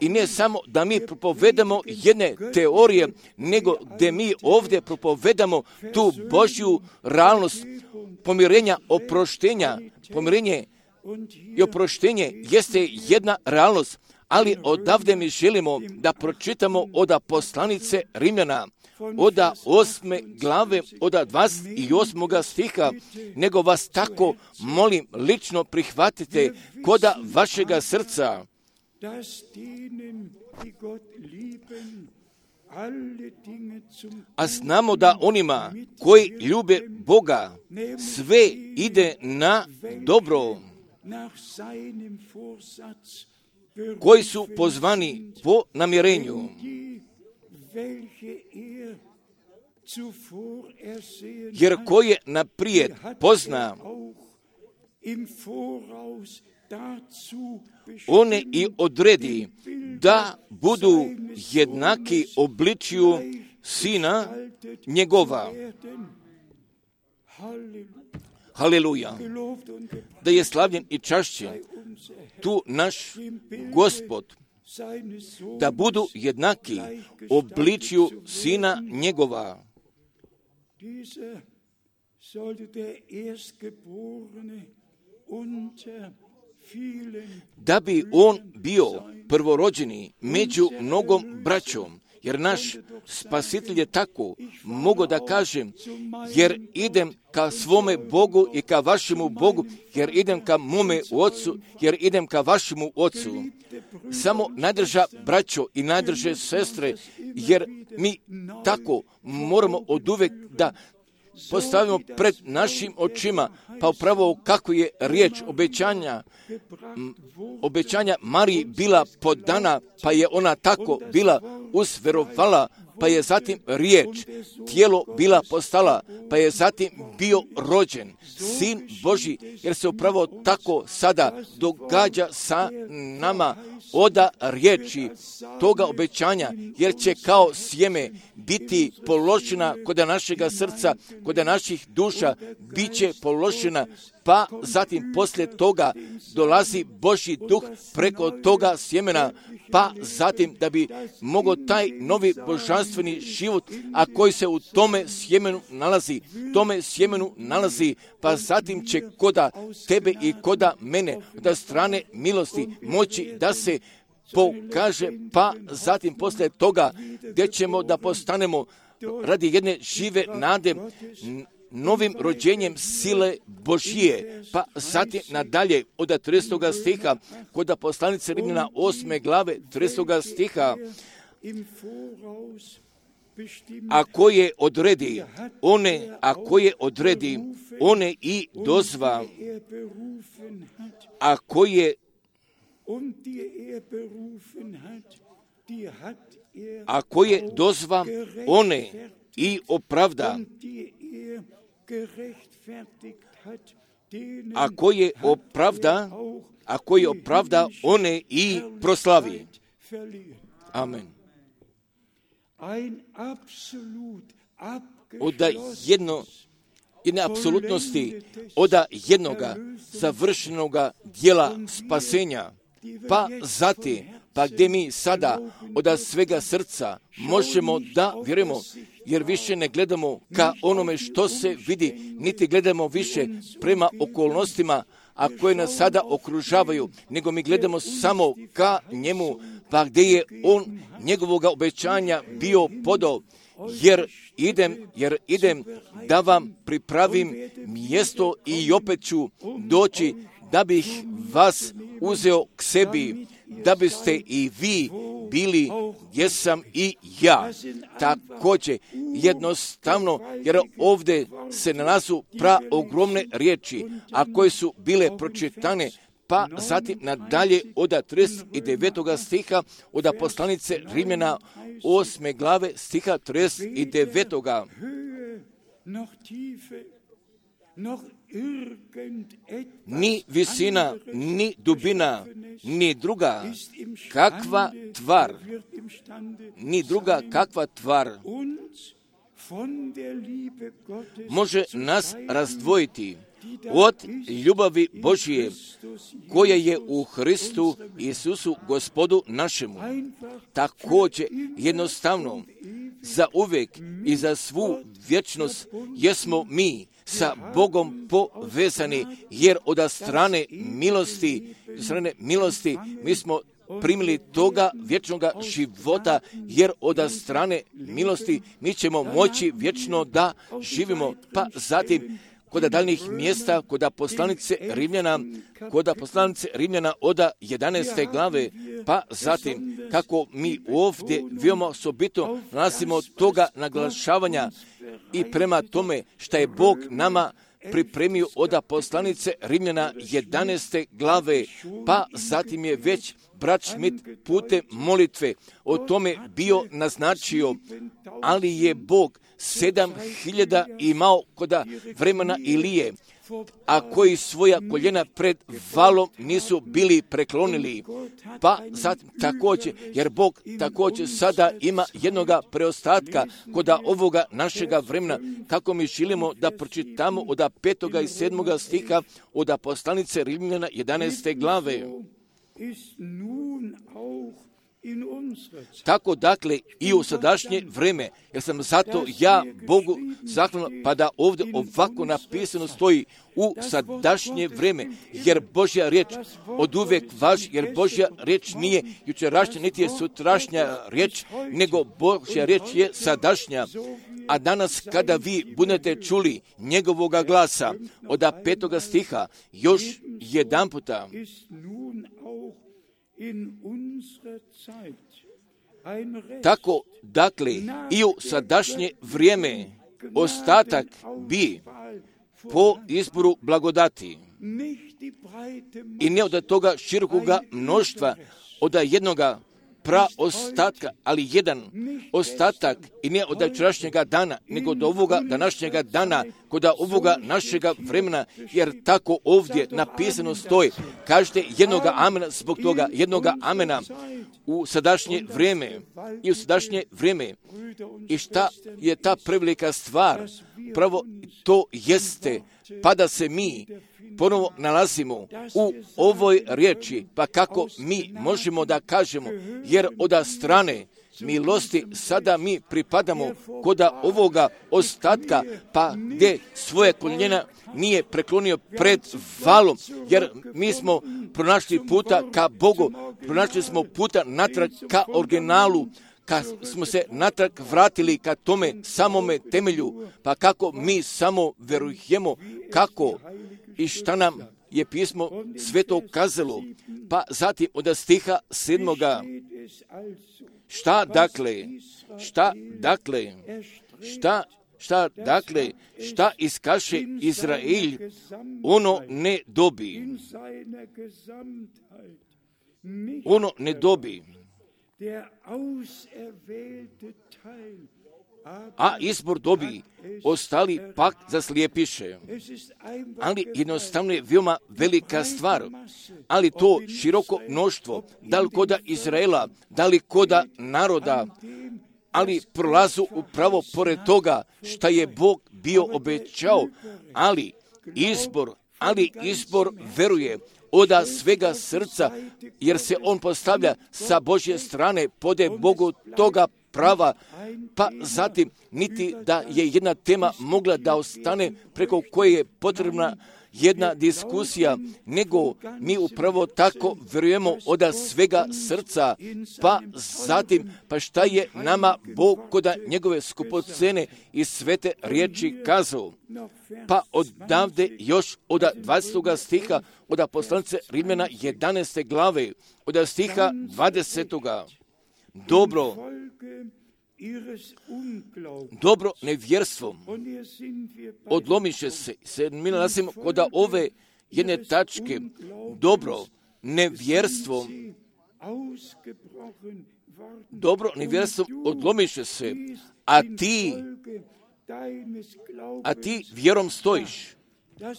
A: I ne samo da mi propovedamo jedne teorije, nego gdje mi ovdje propovedamo tu Božju realnost pomirenja, oproštenja. Pomirenje i oproštenje jeste jedna realnost, ali odavde mi želimo da pročitamo od poslanice Rimljana, od osme glave, od dvadeset osmog stiha, nego vas tako molim lično prihvatite koda vašega srca, A znamo da onima koji ljube Boga sve ide na dobro, koji su pozvani po namjerenju. Jer ko je naprijed pozna, one i odredi da budu jednaki obličju Sina njegova. Haleluja! Da je slavljen i čašćen tu naš Gospod, da budu jednaki obličju Sina njegova. Da bi on bio prvorođeni među mnogom braćom, jer naš Spasitelj je tako, mogu da kažem, jer idem ka svome Bogu i ka vašemu Bogu, jer idem ka mome Ocu, jer idem ka vašemu Ocu. Samo najdrža braćo i najdrže sestre, jer mi tako moramo oduvek da postavimo pred našim očima, pa upravo kako je riječ obećanja, obećanja Mariji bila podana, pa je ona tako bila usverovala, pa je zatim riječ, tijelo bila postala, pa je zatim bio rođen, Sin Božji, jer se upravo tako sada događa sa nama oda riječi toga obećanja, jer će kao sjeme biti položena kod našega srca, kod naših duša, bit će položena, pa zatim poslije toga dolazi Božji duh preko toga sjemena, pa zatim da bi mogao taj novi božanstveni život, a koji se u tome sjemenu nalazi, tome sjemenu nalazi, pa zatim će koda tebe i koda mene, da strane milosti moći da se pokaže, pa zatim poslije toga gdje ćemo da postanemo radi jedne žive nade novim rođenjem sile Božije, pa zatim nadalje od tridesetoga stiha, kod poslanice Rimljana osme glave tridesetoga stiha, a koje odredi, one, a koje odredi, one i dozva, a koje a koje dozva, one i opravda, a koje opravda, a koje opravda, one i proslavi. Amen. Od jedno, jedne apsolutnosti, od jednoga završenoga dijela spasenja, pa zatim, pa gdje mi sada od svega srca možemo da vjerujemo, jer više ne gledamo ka onome što se vidi, niti gledamo više prema okolnostima, a koje nas sada okružavaju, nego mi gledamo samo ka njemu, pa gdje je on njegovoga obećanja bio podao, jer idem, jer idem da vam pripravim mjesto i opet ću doći da bih vas uzeo k sebi, da biste i vi bili gdje sam i ja. Također, jednostavno, jer ovdje se nalazu pra ogromne riječi, a koje su bile pročitane, pa zatim nadalje od trideset devetoga stiha, od poslanice Rimljana osme glave stiha trideset devetoga. Ni visina, ni dubina, ni druga kakva tvar, ni druga kakva tvar može nas razdvojiti od ljubavi Božije koja je u Hristu Isusu Gospodu našemu. Također jednostavno za uvijek i za svu vječnost jesmo mi sa Bogom povezani, jer od strane milosti, strane milosti mi smo primili toga vječnoga života, jer od strane milosti mi ćemo moći vječno da živimo. Pa zatim kod daljnjih mjesta, kod poslanice Rimljana, kod poslanice Rimljana od jedanaeste glave, pa zatim kako mi ovdje veoma osobito nalazimo toga naglašavanja i prema tome šta je Bog nama pripremio od poslanice Rimljana jedanaeste glave, pa zatim je već brat Schmidt putem molitve o tome bio naznačio, ali je Bog sedam hiljada imao kod vremena Ilije, a koji svoja koljena pred valom nisu bili preklonili. Pa zatim također, jer Bog također sada ima jednoga preostatka kod ovoga našega vremena, kako mi želimo da pročitamo od petoga i sedmoga stiha od poslanice Rimljana jedanaeste glave. Tako dakle i u sadašnje vreme, jer sam zato ja Bogu zahvalan, pa da ovdje ovako napisano stoji u sadašnje vreme, jer Božja riječ od uvijek važi, jer Božja riječ nije jučerašnja, niti je sutrašnja riječ, nego Božja riječ je sadašnja. A danas kada vi budete čuli njegovoga glasa od petoga stiha, još jedan puta, tako, dakle, i u sadašnje vrijeme ostatak bi po izboru blagodati i ne od toga širokoga mnoštva, od jednoga praostatka, ali jedan ostatak i ne od jučerašnjega dana, nego od ovoga današnjega dana, kod ovoga našega vremena, jer tako ovdje napisano stoji. Kažete jednoga amena zbog toga, jednoga amena u sadašnje vrijeme i u sadašnje vrijeme. I šta je ta prevelika stvar? Pravo to jeste, pa da se mi ponovo nalazimo u ovoj riječi, pa kako mi možemo da kažemo, jer od strane milosti sada mi pripadamo kod ovoga ostatka, pa gdje svoje koljena nije preklonio pred valom, jer mi smo pronašli puta ka Bogu, pronašli smo puta natrag ka originalu, kad smo se natrag vratili ka tome samome temelju, pa kako mi samo verujemo kako i šta nam je pismo sveto kazalo, pa zatim od stiha sedmoga. Šta dakle, šta dakle, šta, šta dakle, šta iskaše Izrael, ono ne dobi. Ono ne dobi. A izbor dobi, ostali pak zaslijepiše. Ali jednostavno je veoma velika stvar, ali to široko mnoštvo, da li koda Izraela, da li koda naroda, ali prolazu upravo pored toga šta je Bog bio obećao, ali izbor, ali izbor veruje od svega srca, jer se on postavlja sa Božje strane, pode Bogu toga prava, pa zatim niti da je jedna tema mogla da ostane preko koje je potrebna jedna diskusija, nego mi upravo tako vjerujemo od svega srca, pa zatim, pa šta je nama Bog kod njegove skupocene i svete riječi kazao. Pa odavde još od dvadesetog stiha, od poslanice Rimljana jedanaeste glave, od stiha dvadesetog. Dobro, dobro nevjerstvo odlomiše se, se mi nalazimo kod ove jedne tačke, dobro nevjerstvo, dobro nevjerstvo odlomiše se, a ti, a ti vjerom stojiš,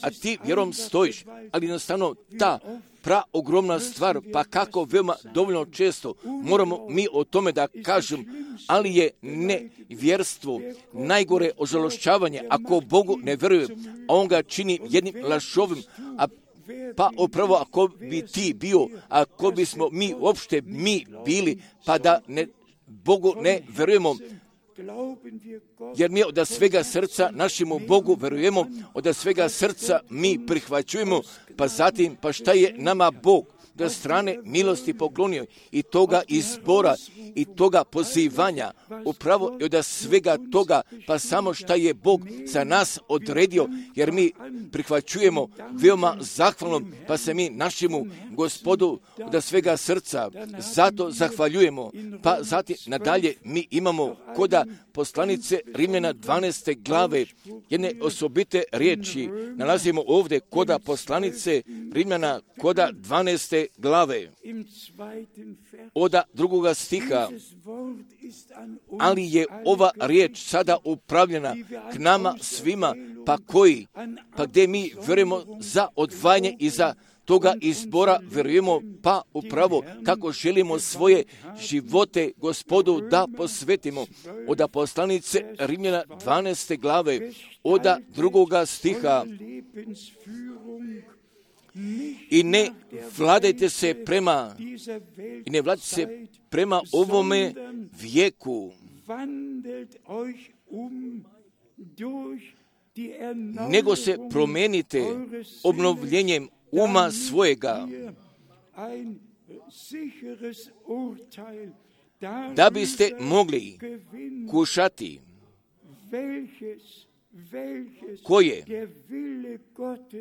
A: a ti vjerom stojiš, ali jednostavno ta praogromna stvar, pa kako veoma dovoljno često moramo mi o tome da kažem, ali je nevjerstvo najgore ožalošćavanje ako Bogu ne vjeruje, a on ga čini jednim lažovim, a pa upravo ako bi ti bio, ako bismo mi uopšte mi bili, pa da ne, Bogu ne vjerujemo, jer mi od svega srca našemu Bogu verujemo, od svega srca mi prihvaćujemo, pa zatim, pa šta je nama Bog da strane milosti poklonio i toga izbora i toga pozivanja, upravo i od svega toga, pa samo šta je Bog za nas odredio, jer mi prihvaćujemo veoma zahvalnom, pa se mi našemu Gospodu od svega srca zato zahvaljujemo. Pa zatim nadalje mi imamo koda poslanice Rimljana dvanaeste glave, jedne osobite riječi nalazimo ovdje koda poslanice Rimljana koda dvanaeste glave, oda drugoga stiha, ali je ova riječ sada upravljena k nama svima, pa koji, pa gdje mi vjerujemo za odvajanje i za toga izbora vjerujemo, pa upravo kako želimo svoje živote Gospodu da posvetimo. Oda poslanice Rimljana dvanaeste glave, oda drugoga stiha, i ne vladajte se prema i ne vladajte se prema ovome vijeku, nego se promijenite obnovljenjem uma svojega, da biste mogli kušati koje,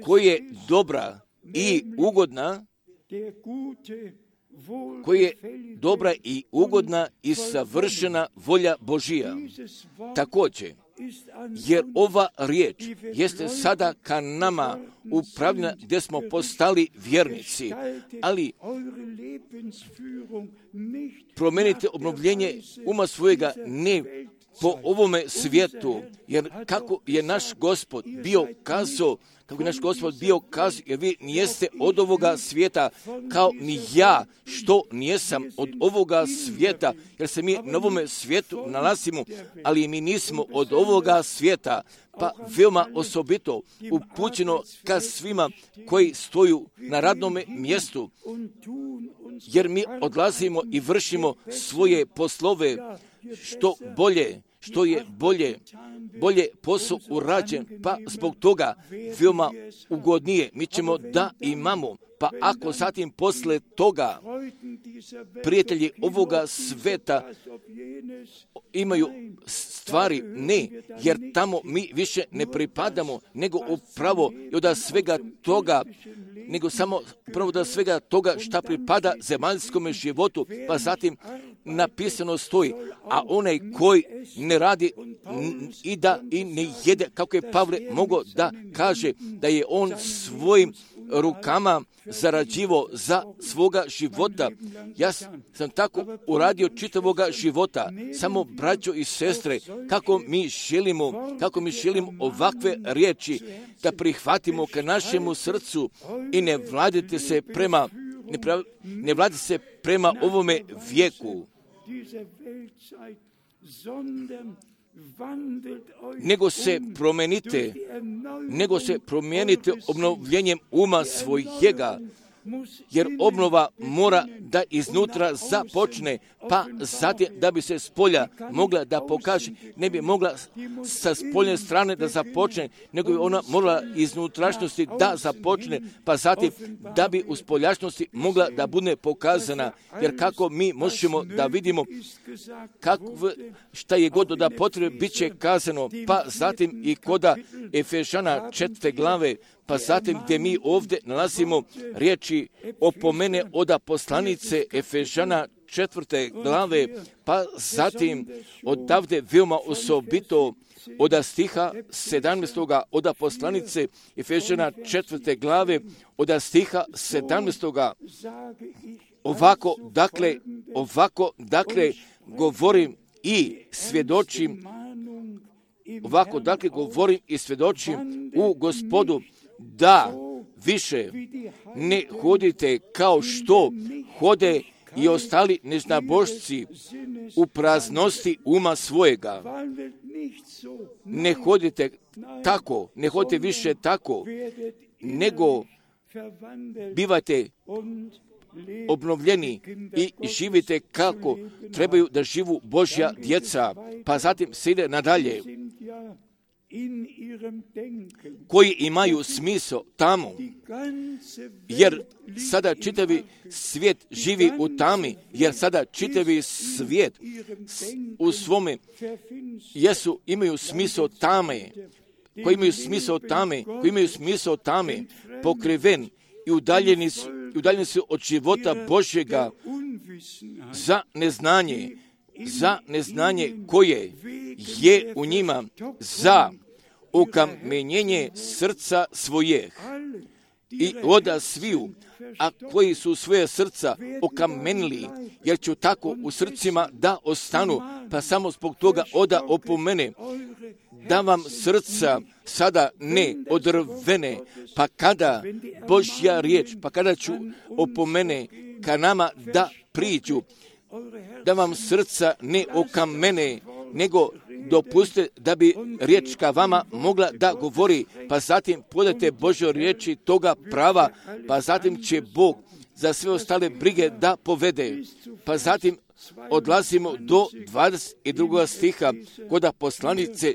A: koje je dobra i ugodna, koje je dobra i ugodna i savršena volja Božija. Također, jer ova riječ jeste sada ka nama upravljena gdje smo postali vjernici, ali promijenite obnovljenje uma svojega ne po ovome svijetu, jer kako je naš Gospod bio kazao, kako je naš Gospod bio kazao, jer vi nijeste od ovoga svijeta, kao ni ja, što nijesam od ovoga svijeta, jer se mi na ovome svijetu nalazimo, ali mi nismo od ovoga svijeta, pa veoma osobito upućeno ka svima koji stoju na radnome mjestu, jer mi odlazimo i vršimo svoje poslove, što bolje, što je bolje, bolje posao urađen, pa zbog toga veoma ugodnije mi ćemo da imamo. Pa ako zatim posle toga prijatelji ovoga sveta imaju stvari, ne, jer tamo mi više ne pripadamo, nego upravo i od svega toga, nego samo upravo od svega toga šta pripada zemaljskom životu, pa zatim napisano stoji, a onaj koji ne radi i da i ne jede, kako je Pavle mogao da kaže da je on svojim rukama zarađivo za svoga života. Ja sam tako uradio čitavoga života. Samo braćo i sestre, kako mi želimo, kako mi želimo ovakve riječi da prihvatimo ka našemu srcu i ne vladite se prema, ne, prav, ne vladite se prema ovome vijeku, nego se promijenite, nego se promijenite obnovljenjem uma svojega, jer obnova mora da iznutra započne, pa zatim da bi se s polja mogla da pokaže, ne bi mogla sa spoljne strane da započne, nego bi ona morala iznutrašnosti da započne, pa zatim da bi u spoljašnosti mogla da bude pokazana, jer kako mi možemo da vidimo kako, šta je god da potrebe bit će kazano, pa zatim i koda Efežana četvrte glave, pa zatim gdje mi ovdje nalazimo riječi opomene oda poslanice Efežana četvrte glave, pa zatim odavde veoma osobito oda stiha sedamnaestoga oda poslanice Efežana četvrte glave, oda stiha sedamnaestoga ovako, dakle, ovako, dakle, govorim i svjedočim, ovako, dakle, govorim i svjedočim u Gospodu, da više ne hodite kao što hode i ostali neznabošci u praznosti uma svojega. Ne hodite tako, ne hodite više tako, nego bivajte obnovljeni i živite kako trebaju da živu Božja djeca. Pa zatim se ide nadalje. koji imaju smisao tamo, jer sada čitavi svijet živi u tami, jer sada čitavi svijet u svome jesu, imaju smisao tame, koji imaju smisao tame, koji imaju smisao tame, pokriven i udaljeni su, udaljeni su od života Božjega za neznanje, za neznanje koje je u njima, za ukamenjenje srca svojih i oda sviju, a koji su svoje srca okamenili, jer ću tako u srcima da ostanu, pa samo zbog toga oda opomene, da vam srca sada ne odrvene, pa kada Božja riječ, pa kada ću opomene ka nama da priđu, da vam srca ne okamene, nego dopustite da bi riječ ka vama mogla da govori, pa zatim podajte Božjoj riječi toga prava, pa zatim će Bog za sve ostale brige da povede. Pa zatim odlazimo do dvadeset drugog stiha kod poslanice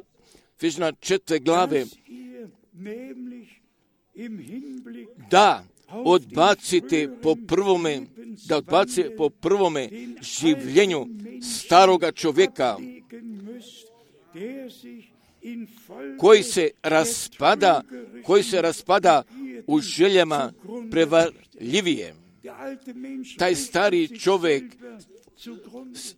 A: Efežana četvrte glave, da odbacite po prvome, da odbacite po prvome življenju staroga čovjeka, koji se raspada, koji se raspada u željama prevarljivije. Taj stari čovjek,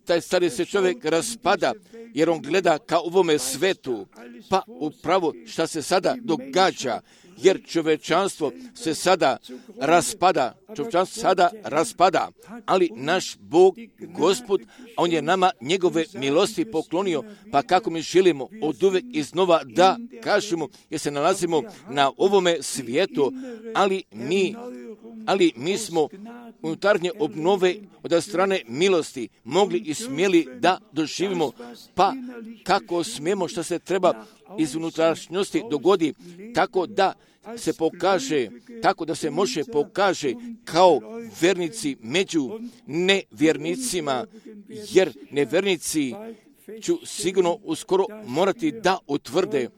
A: taj stari se čovjek raspada, jer on gleda ka ovome svetu, pa upravo šta se sada događa, jer čovečanstvo se sada raspada, čovečanstvo sada raspada, ali naš Bog, Gospod, on je nama njegove milosti poklonio, pa kako mi želimo od uvek iznova da kažemo, jer se nalazimo na ovome svijetu, ali mi, ali mi smo unutarnje obnove od strane milosti mogli i smjeli da doživimo, pa kako smijemo što se treba iz unutrašnjosti dogodi, tako da se pokaže, tako da se može pokaže kao vernici među nevjernicima, jer nevjernici ću sigurno uskoro morati da utvrde,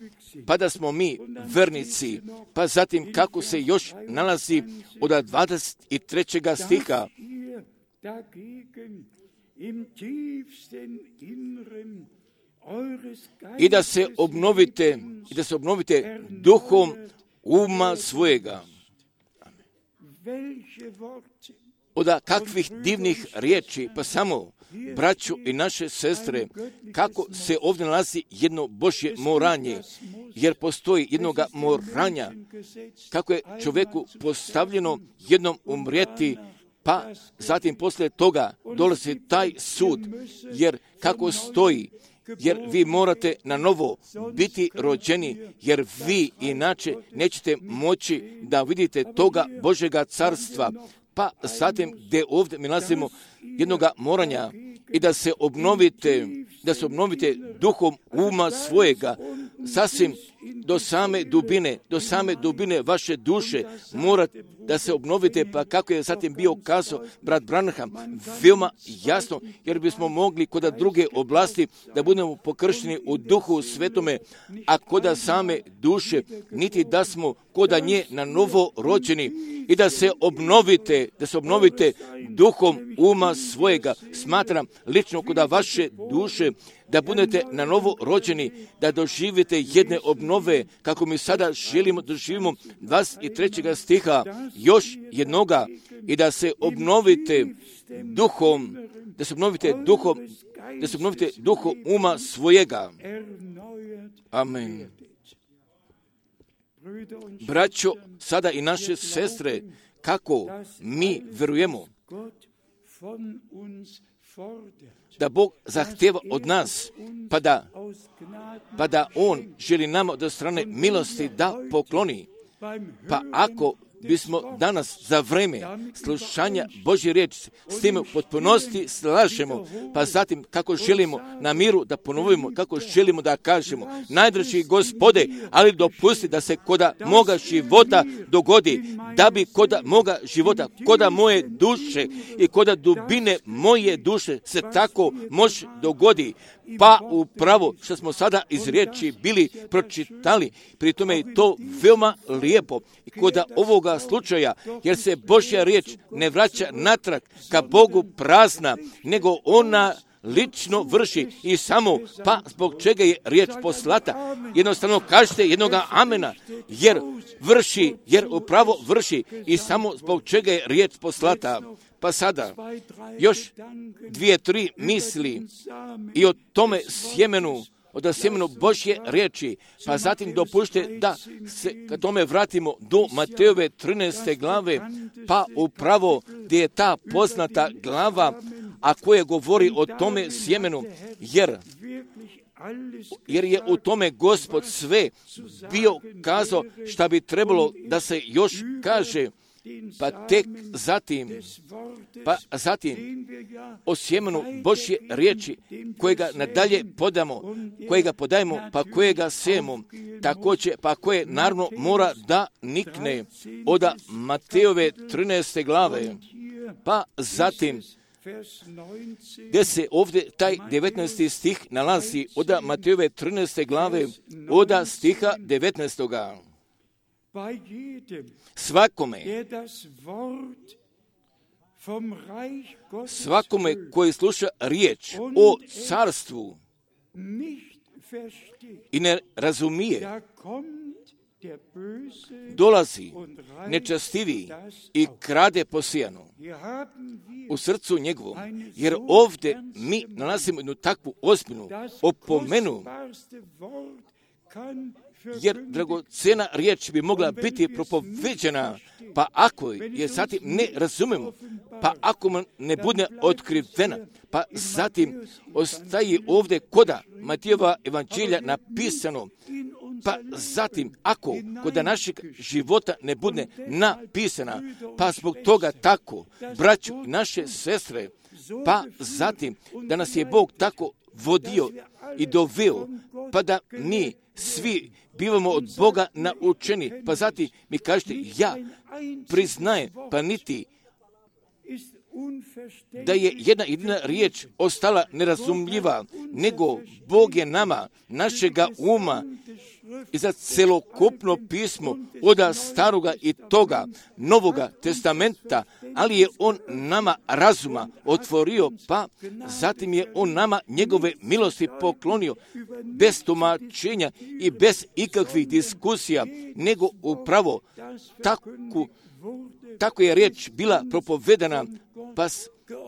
A: pa da smo mi vernici, pa zatim kako se još nalazi od dvadeset trećeg stiha. I da se obnovite, i da se obnovite duhom uma svojega. Od kakvih divnih riječi, pa samo, braćo i naše sestre, kako se ovdje nalazi jedno Božje moranje, jer postoji jednoga moranja, kako je čovjeku postavljeno jednom umrijeti, pa zatim poslije toga dolazi taj sud, jer kako stoji, jer vi morate na novo biti rođeni, jer vi inače nećete moći da vidite toga Božjega carstva. Pa zatim gdje ovdje mi nalazimo jednoga moranja i da se obnovite, da se obnovite duhom uma svojega, sasvim do same dubine, do same dubine vaše duše morate da se obnovite, pa kako je zatim bio kazao brat Branham, veoma jasno, jer bismo mogli kod druge oblasti da budemo pokršteni u duhu svetome, a kod same duše, niti da smo kod nje na novo rođeni i da se obnovite, da se obnovite duhom uma svojega. Smatram lično kod vaše duše da budete na novo rođeni, da doživite jedne obnove, kako mi sada želimo doživimo dvadeset trećeg stiha, još jednoga, i da se obnovite duhom, da se obnovite duhom, da se obnovite duhom uma svojega. Amen. Braćo, sada i naše sestre, kako mi verujemo da Bog zahtjeva od nas, pa da, pa da On želi nama od strane milosti da pokloni. Pa ako bismo danas za vreme slušanja Božje riječi s tim u potpunosti slažemo, pa zatim kako želimo na miru da ponovimo, kako želimo da kažemo, najdraži Gospode, ali dopusti da se koda moga života dogodi, da bi koda moga života, koda moje duše i koda dubine moje duše se tako može dogodi. Pa upravo što smo sada iz riječi bili pročitali, pri tome je to veoma lijepo i koda ovoga slučaja, jer se Božja riječ ne vraća natrag ka Bogu prazna, nego ona lično vrši i samo, pa zbog čega je riječ poslata. Jednostavno kažete jednoga amena, jer vrši, jer upravo vrši i samo zbog čega je riječ poslata. Pa sada, još dvije, tri misli i o tome sjemenu, od sjemenu Božje riječi, pa zatim dopušte da se ka tome vratimo do Matejove trinaeste glave, pa upravo gdje je ta poznata glava, a koja govori o tome sjemenu, jer jer je u tome Gospod sve bio kazao šta bi trebalo da se još kaže. Pa tek zatim, pa zatim o sjemenu Božje riječi kojega nadalje podamo, kojega podajemo, pa kojega sejemo, također, pa koje naravno mora da nikne od Matejove trinaeste glave, pa zatim gdje se ovdje taj devetnaesti stih nalazi od Matejove trinaeste glave, od stiha devetnaestoga. Svakome, svakome koji sluša riječ o carstvu i ne razumije, dolazi nečastivi i krade posijano u srcu njegovom, jer ovdje mi nalazimo jednu takvu ozbiljnu opomenu, jer dragocjena riječ bi mogla biti propoveđena, pa ako je zatim ne razumemo, pa ako ne bude otkrivena, pa zatim ostaje ovdje koda Matejova evanđelja napisano, pa zatim ako koda našeg života ne bude napisana, pa zbog toga tako, braću i naše sestre, pa zatim da nas je Bog tako vodio i doveo, pa da mi svi bivamo od Boga naučeni, pa zatim mi kažete, ja priznajem, pa niti da je jedna jedina riječ ostala nerazumljiva, nego Bog je nama, našega uma i za celokupno pismo od staroga i toga novoga testamenta, ali je on nama razuma otvorio, pa zatim je on nama njegove milosti poklonio bez tumačenja i bez ikakvih diskusija, nego upravo tako, tako je riječ bila propovedana, pa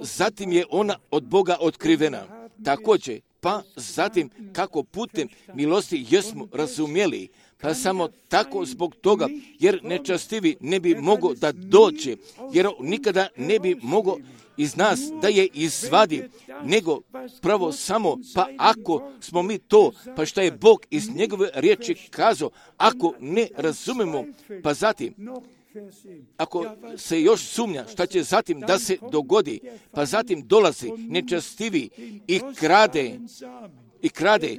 A: zatim je ona od Boga otkrivena. Također, pa zatim kako putem milosti jesmo razumjeli, pa samo tako zbog toga, jer nečastivi ne bi mogao da dođe, jer nikada ne bi mogao iz nas da je izvadi, nego pravo samo, pa ako smo mi to, pa šta je Bog iz njegove riječi kazao, ako ne razumemo, pa zatim, ako se još sumnja šta će zatim da se dogodi, pa zatim dolazi nečastivi i krade, i krade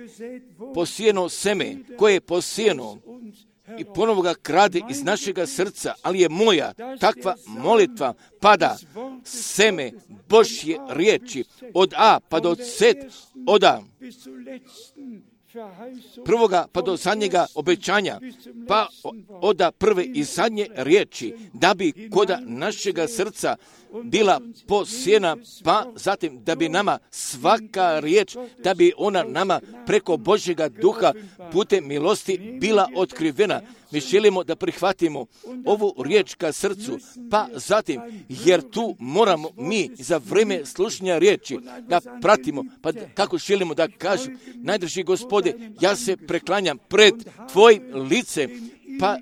A: posijeno seme koje je posijeno i ponovo ga krade iz našega srca, ali je moja takva molitva pada seme Božje riječi od A pa do Z, od A prvoga pa do zadnjega obećanja, pa od prve i zadnje riječi, da bi koda našega srca bila posijena, pa zatim da bi nama svaka riječ, da bi ona nama preko Božjega duha putem milosti bila otkrivena. Mi želimo da prihvatimo ovu riječ ka srcu, pa zatim, jer tu moramo mi za vrijeme slušanja riječi da pratimo, pa kako želimo da kažem, najdraži Gospode, ja se preklanjam pred Tvojim licem pa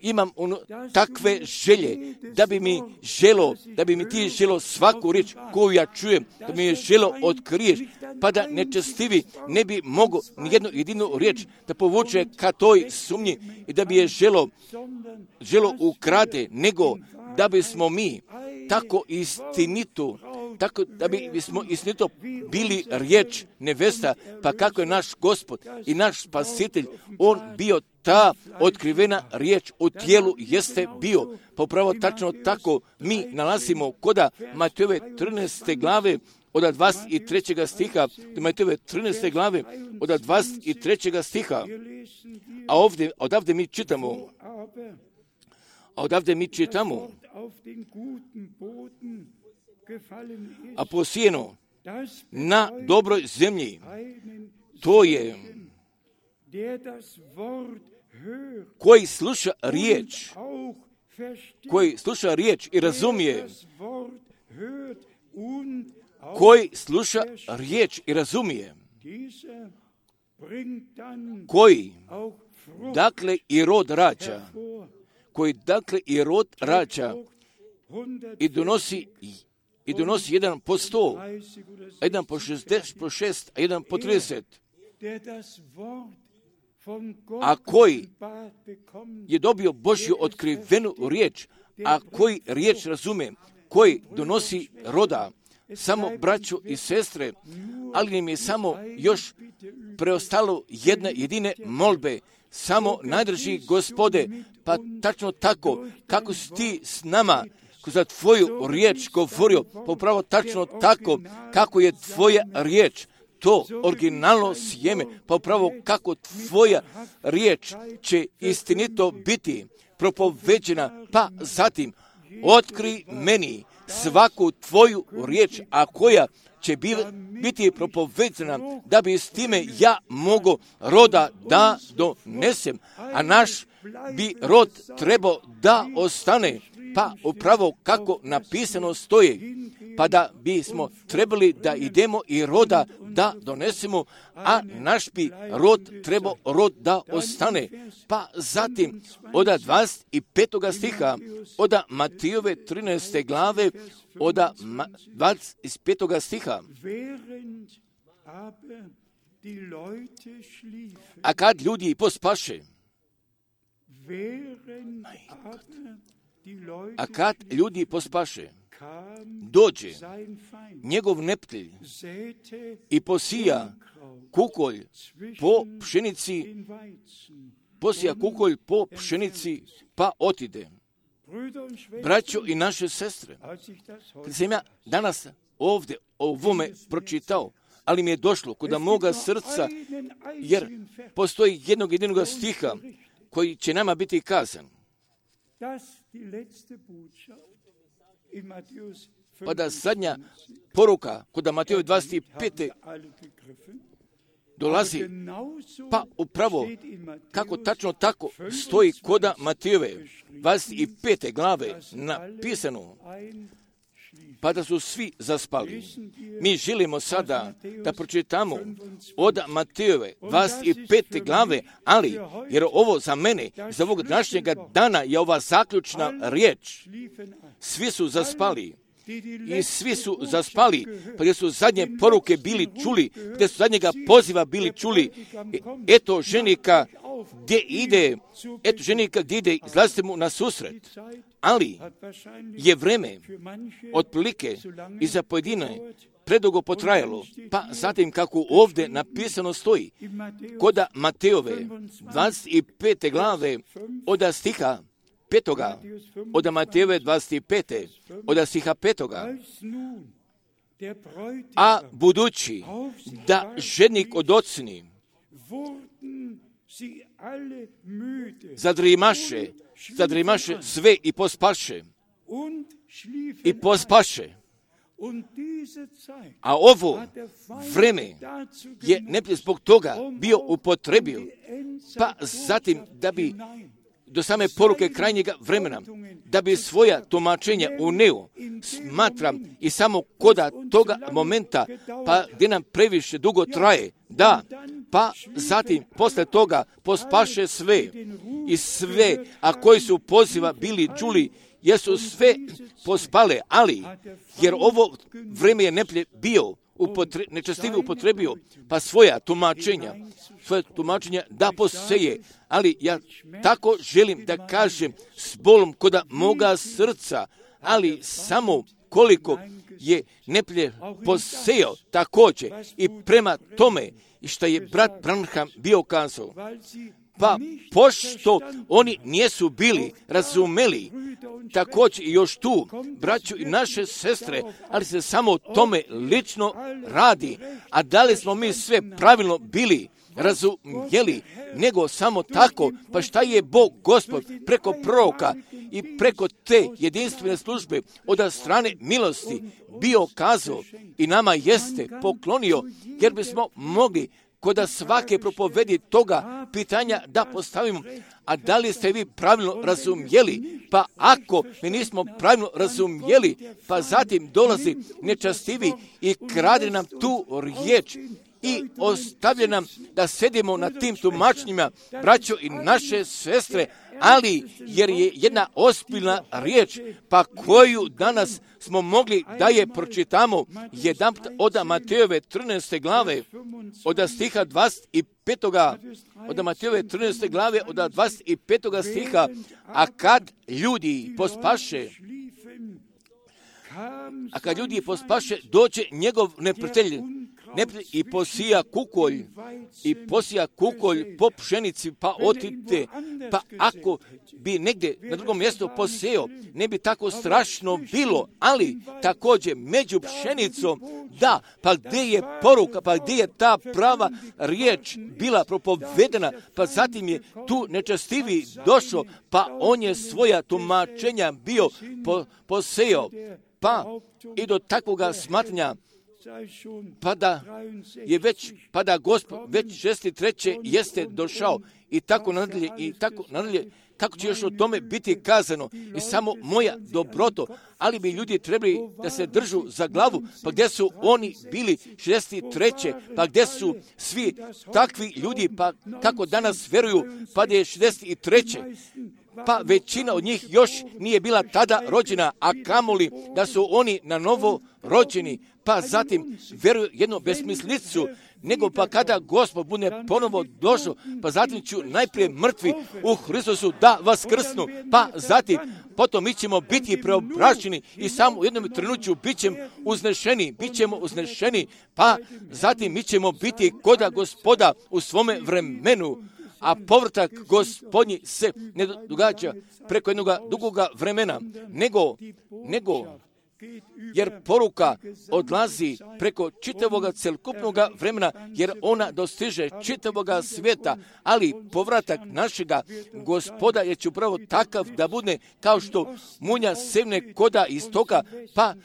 A: imam ono, takve želje, da bi mi želo, da bi mi ti želo svaku riječ koju ja čujem, da mi je želo otkriješ, pa da nečestivi ne bi mogo nijednu jedinu riječ da povuče ka toj sumnji i da bi je želo, želo ukrade, nego da bismo mi tako istinito, tako da bi bismo istinito bili riječ nevesta, pa kako je naš Gospod i naš Spasitelj, on bio ta otkrivena riječ u tijelu jeste bio. Pa upravo tačno tako mi nalazimo koda Matejove trinaeste glave od dvadeset trećeg stiha, Matejove trinaeste glave od dvadeset trećeg stiha. A ovdje, odavde mi čitamo, a odavde mi čitamo, a posijeno na dobroj zemlji, to je koji sluša riječ, koji sluša riječ i razumije, koji sluša riječ i razumije, koji dakle i rod rađa, koji dakle i rod rađa i donosi i donosi jedan po sto, jedan po šest, po šest, a jedan po trideset. A koji je dobio Božju otkrivenu riječ, a koji riječ razume, koji donosi roda, samo braćo i sestre, ali im je samo još preostalo jedne jedine molbe, samo najdrži Gospode, pa tačno tako, kako si ti s nama za tvoju riječ govorio, pa upravo tačno tako, kako je tvoja riječ, to originalno sjeme, pa upravo kako tvoja riječ će istinito biti propoveđena, pa zatim otkri meni svaku tvoju riječ, a koja će biti propoveđena, da bi s time ja mogo roda da donesem, a naš bi rod trebao da ostane, pa upravo kako napisano stoji, pa da bismo trebali da idemo i roda da donesemo, a naš bi rod trebao rod da ostane. Pa zatim od dvadeset petog stiha, od Matejove trinaeste glave, od dvadeset petog stiha. A kad ljudi pospaše, a kad ljudi pospaše, dođe njegov neprijatelj i posija kukolj po pšenici, posija kukolj po pšenici, pa otide. Braćo i naše sestre, kad sam ja danas ovdje ovome pročitao, ali mi je došlo kod moga srca, jer postoji jednog jedinog stiha koji će nama biti kazan. Pa da zadnja poruka kod Matejove dvadeset pete dolazi, pa upravo kako tačno tako stoji kod Matejove dvadeset pete glave napisano, pa da su svi zaspali. Mi želimo sada da pročitamo od Matejove dvadeset pete glave, ali jer ovo za mene, za ovog današnjega dana je ova zaključna riječ. Svi su zaspali. I svi su zaspali, pa gdje su zadnje poruke bili čuli, gdje su zadnjega poziva bili čuli. Eto ženika gdje ide, eto ženika gdje ide, izlazite mu na susret. Ali je vreme otprilike i za pojedine predugo potrajalo, pa zatim kako ovdje napisano stoji, kod Matejove dvadeset pete glave od stiha petoga, od Matejove dvadeset pete, od stiha petoga, a budući da ženik odocni, zadrimaše, zadrimaše sve i pospaše, i pospaše. A ovo vreme je neprijatelj zbog toga bio upotrebio, pa zatim da bi do same poruke krajnjega vremena, da bi svoja tumačenja uneo, smatram i samo koda toga momenta, pa gdje nam previše dugo traje, da, pa zatim posle toga pospaše sve i sve, a koji su poziva bili čuli, jesu sve pospale, ali jer ovo vrijeme je neplje bio upotre, nečestivi upotrebio, pa svoja tumačenja, svoje tumačenja da poseje, ali ja tako želim da kažem s bolom koda moga srca, ali samo koliko je neplje posejao također i prema tome i što je brat Branham bio kazao, pa pošto oni nisu bili razumeli također i još tu braću i naše sestre, ali se samo o tome lično radi, a da li smo mi sve pravilno bili razumjeli, nego samo tako, pa šta je Bog Gospod preko proroka i preko te jedinstvene službe od strane milosti bio kazao i nama jeste poklonio, jer bismo mogli kod svake propovedi toga pitanja da postavimo, a da li ste vi pravilno razumjeli? Pa ako mi nismo pravilno razumjeli, pa zatim dolazi nečastivi i krade nam tu riječ i ostavlja nam da sedimo na tim tumačnjima, braćo i naše sestre, ali jer je jedna ozbiljna riječ, pa koju danas smo mogli da je pročitamo jedan od Matejove trinaeste glave, od stiha dvadeset pet. Od Matejove trinaeste glave, od dvadeset pet. stiha, a kad ljudi pospaše, a kad ljudi pospaše, dođe njegov neprijatelj, i posija kukolj, i posija kukolj po pšenici, pa otite, pa ako bi negdje na drugom mjestu poseo, ne bi tako strašno bilo, ali također među pšenicom, da, pa gdje je poruka, pa gdje je ta prava riječ bila propovedena, pa zatim je tu nečastivi došao, pa on je svoja tumačenja bio po, poseo, pa i do takvoga smatranja, pa da je već, pa da Gospod već šesdeset treće jeste došao i tako nadalje, i tako nadalje, kako će još o tome biti kazano i samo moja dobroto, ali bi ljudi trebali da se držu za glavu, pa gdje su oni bili šezdeset treće, pa gdje su svi takvi ljudi, pa kako danas vjeruju, pa da je šezdeset treće, pa većina od njih još nije bila tada rođena, a kamoli da su oni na novo rođeni, pa zatim vjeruju jednu besmislicu, nego pa kada Gospod bude ponovo došao, pa zatim ću najprije mrtvi u Hristusu da vaskrsnu, pa zatim potom mi ćemo biti preobraćeni i samo u jednom trenutku bit ćemo uznešeni, bit ćemo uznešeni, pa zatim mi ćemo biti koda Gospoda u svome vremenu, a povratak Gospodnji se ne događa preko jednog dugoga vremena, nego, nego jer poruka odlazi preko čitavoga celokupnoga vremena, jer ona dostiže čitavoga svijeta, ali povratak našega Gospoda je će upravo takav da bude kao što munja sevne koda istoka, pa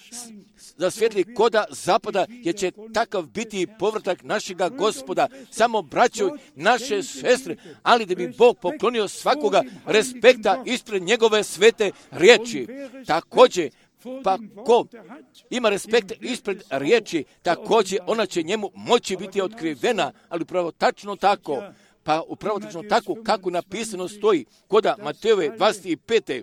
A: zasvjetli koda zapada, jer će takav biti povratak našega Gospoda. Samo braćo naše sestre, ali da bi Bog poklonio svakoga respekta ispred njegove svete riječi. Također, pa ko ima respekt ispred riječi, također ona će njemu moći biti otkrivena, ali upravo tačno tako, pa upravo tačno tako kako napisano stoji koda Matejove dvadeset pete.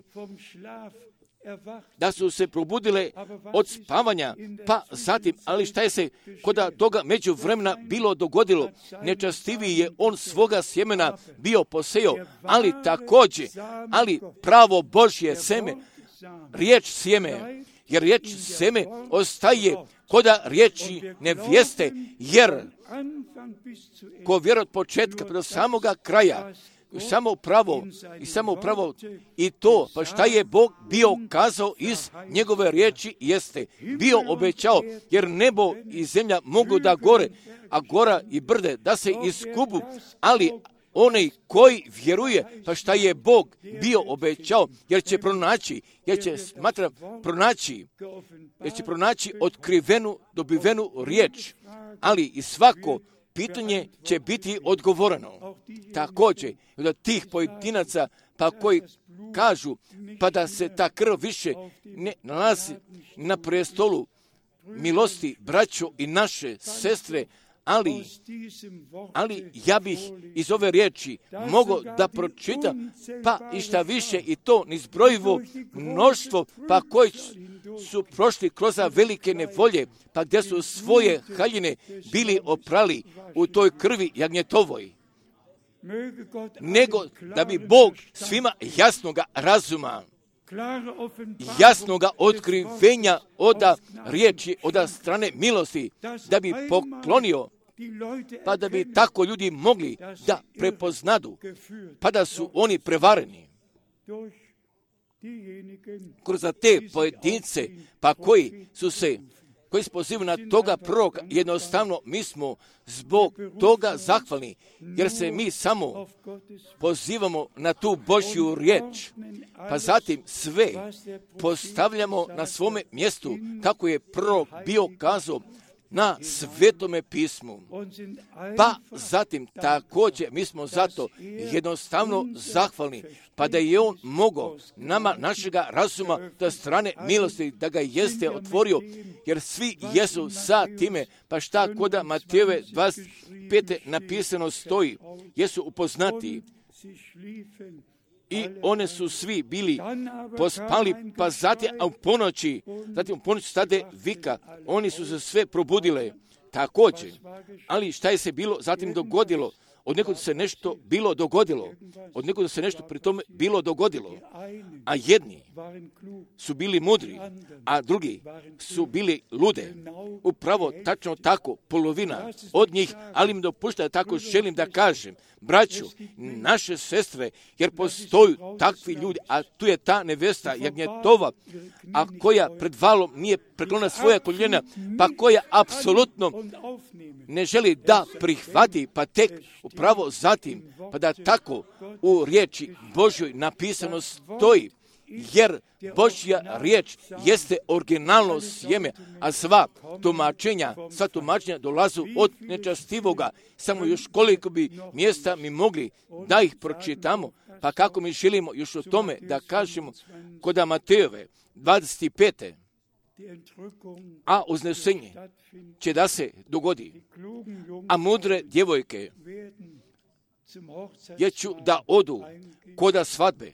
A: Da su se probudile od spavanja, pa zatim, ali šta je se koda toga među vremena bilo dogodilo? Nečastiviji je on svoga sjemena bio posejao, ali također, ali pravo Božje seme, riječ sjeme, jer riječ sjeme ostaje koda riječi nevjeste, jer ko vjeruje od početka do samoga kraja, samo pravo i samo pravo i to, pa šta je Bog bio kazao iz njegove riječi jeste, bio obećao, jer nebo i zemlja mogu da gore, a gora i brde da se iskubu, ali onaj koji vjeruje, pa šta je Bog bio obećao, jer će pronaći, jer će smatra pronaći, jer će pronaći otkrivenu, dobivenu riječ, ali i svako pitanje će biti odgovoreno. Također, od tih pojedinaca, pa koji kažu, pa da se ta krv više ne nalazi na prestolu milosti, braćo i naše sestre, Ali, ali ja bih iz ove riječi mogao da pročitam, pa i šta više i to nizbrojivo mnoštvo, pa koji su prošli kroz velike nevolje, pa gdje su svoje haljine bili oprali u toj krvi jagnjetovoj. Nego da bi Bog svima jasnoga razuma, jasnoga otkrivenja oda riječi, oda strane milosti, da bi poklonio, pa da bi tako ljudi mogli da prepoznadu, pa da su oni prevareni kroz te pojedince, pa koji su se, koji se pozivaju na toga proroka. Jednostavno mi smo zbog toga zahvalni, jer se mi samo pozivamo na tu Božju riječ, pa zatim sve postavljamo na svome mjestu, kako je prorok bio kazao na Svetome pismu. Pa zatim također mi smo zato jednostavno zahvalni, pa da je on mogao nama našega razuma da strane milosti, da ga jeste otvorio, jer svi jesu sa time, pa šta koda Matejeve dvadeset pete napisano stoji, jesu upoznati. I one su svi bili pospali, pa zatim u ponoći, zatim u ponoći stade vika, oni su se sve probudile također. Ali šta je se bilo zatim dogodilo? Od nekog se nešto bilo dogodilo. Od nekog se nešto pri tome bilo dogodilo. A jedni su bili mudri, a drugi su bili lude. Upravo tačno tako, polovina od njih, ali mi dopušta da tako želim da kažem. Braću, naše sestre, jer postoju takvi ljudi, a tu je ta nevesta jagnjetova, a koja pred valom nije preklonila svoja koljena, pa koja apsolutno ne želi da prihvati, pa tek upravo zatim, pa da tako u riječi Božjoj napisano stoji, jer Božja riječ jeste originalno sjeme, a sva tumačenja, sva tumačenja dolazu od nečastivoga. Samo još koliko bi mjesta mi mogli da ih pročitamo, pa kako mi želimo još o tome da kažemo kod Matejove dvadeset pete. A uznesenje će da se dogodi, a mudre djevojke jer ću da odu koda svadbe,